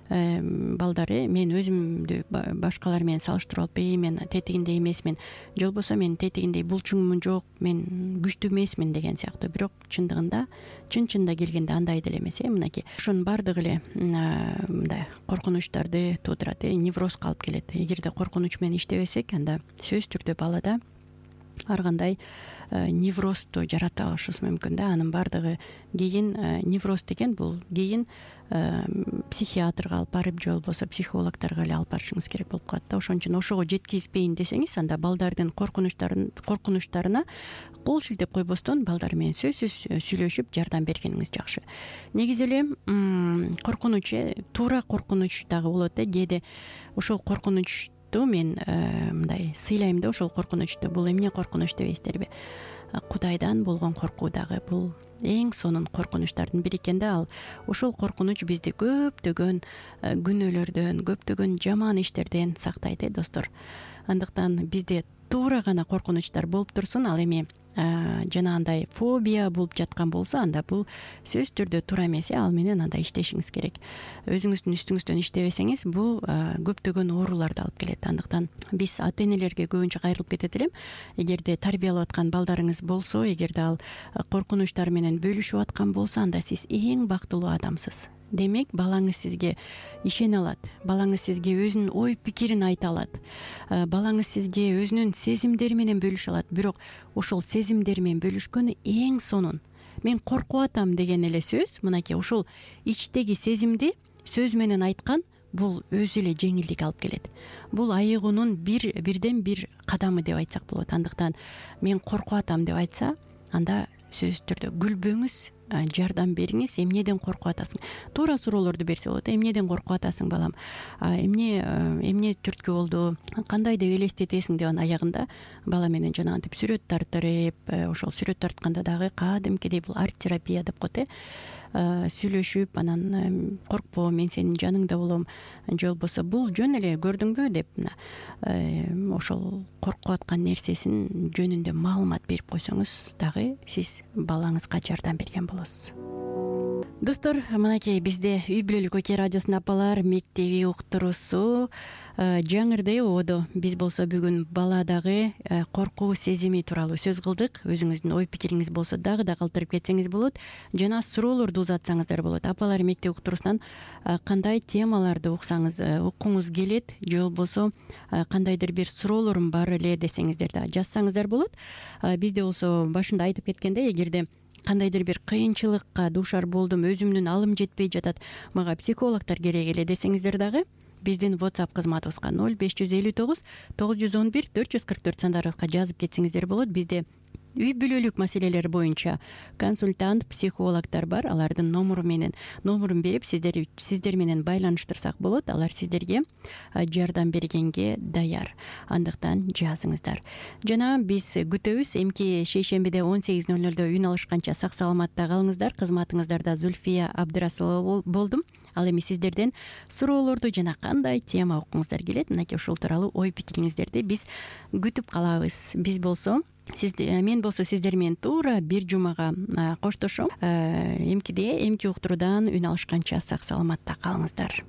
Speaker 2: балдар мен өзүмдү башкалар менен салыштырып алып, мен тетигиндей эмесмин, же болбосо мен тетигиндей булчуңмун, жок, мен күчтүү эмесмин деген сыяктуу. Бирок чындыгында, чын-чынында келгенде андай деле эмес. Мынакей ошонун баардыгы эле мындай коркунучтарды туудурат, неврозго алып келет. Эгерде коркунуч менен иштебесек, анда сөзсүз түрдө балада ар кандай неврозду жарата алышыбыз мүмкүн да. Анын баардыгы кийин невроз деген бул кийин психиатрга алып барып, же болбосо психологторго эле алып барышыңыз керек болуп калат да. Ошон үчүн ошого жеткизбейин десеңиз, анда балдардын коркунучтарына кол шилтеп койбостон балдар менен сөзсүз сүйлөшүп жардам бергениңиз жакшы. Негизи эле коркунуч, туура коркунуч дагы болот. Кээде ошол коркунуч мен мындай сыйлайм да, ошол коркунучту. Бул эмне коркунуч дебейсиздерби? Кудайдан болгон коркуу дагы бул эң сонун коркунучтардын бири экен да. Ал ошол коркунуч бизди көптөгөн күнөөлөрдөн, көптөгөн жаман иштерден сактайт, достор. Андыктан бизде туура гана коркунучтар болуп турсун. Ал эми жанагындай фобия болуп жаткан болсо, анда бул сөзсүз түрдө туура эмес. Ал менен анда иштешиңиз керек. Өзүңүздүн үстүңүздөн иштебесеңиз, бул көптөгөн ооруларды алып келет. Андыктан биз ата-энелерге көбүнчө кайрылып кетет элем. Эгерде тарбиялап аткан балдарыңыз болсо, эгерде ал коркунучтар менен бөлүшүп аткан болсо, анда сиз эң бактылуу адамсыз. демек балаңыз сизге ишене алат, балаңыз сизге өзүнүн ой пикирин айта алат, балаңыз сизге өзүнүн сезимдери менен бөлүшө алат. Бирок ошол сезимдери менен бөлүшкөнү эң сонун мен коркуп атам деген эле сөз, мынакей ошол ичтеги сезимди сөз менен айткан, бул өзү эле жеңилдик алып келет. Бул айыгуунун бирден бир кадамы деп айтсак болот. Андыктан мен коркуп атам деп айтса, анда сөзсүз түрдө күлбөңүз, жардам бериңиз. Эмнеден коркуп атасың? Туура суроолорду берсе болот. Эмнеден коркуп атасың, балам? Эмне түрткү болду? Кандай деп элестетесиң деп анын аягында бала менен жанагынтип сүрөт тартырып, ошол сүрөт тартканда дагы кадимкидей бул арт терапия деп коет, сүйлөшүп, анан коркпо, мен сенин жаныңда болом, же болбосо бул жөн эле, көрдүңбү деп ошол коркуп аткан нерсесин жөнүндө маалымат берип койсоңуз дагы сиз балаңызга жардам берген болосуз. Достор, мынакей бизде үй бүлөлүк Оке радиосунун апалар мектеби уктуруусу жаңырды ободо. Биз болсо бүгүн баладагы коркуу сезими тууралуу сөз кылдык. Өзүңүздүн ой пикириңиз болсо дагы да калтырып кетсеңиз болот, жана суроолорду узатсаңыздар болот. Апалар мектеп уктуруусунан кандай темаларды уккуңуз келет, же болбосо кандайдыр бир суроолорум бар эле десеңиздер да жазсаңыздар болот. Бизде болсо башында айтып кеткендей, эгерде кандайдыр бир кыйынчылыкка дуушар болдум, өзүмдүн алым жетпей жатат, мага психологдор керек эле десеңиздер дагы биздин WhatsApp кызматыбызга 0559 911 444 сандарыбызга жазып кетсеңиздер болот. Бизде үй бүлөлүк маселелер боюнча консультант, психологдор бар. Алардын номурун берип сиздер менен байланыштырсак болот. Алар сиздерге жардам бергенге даяр. Андыктан жазыңыздар. Жана биз күтөбүз. Эмки шейшембиде 18:00 үн алышканча сак саламатта калыңыздар. Кызматыңыздарда Зульфия Абдрасулова болдум. Ал эми сиздерден суроолорду жана кандай тема уккуңуздар келет, мынакей ушул тууралуу ой пикириңиздерди биз күтүп калабыз. Мен болсо сиздер менен туура бир жумага коштошом. Эмки уктуруудан үн алышканча сак саламатта калыңыздар.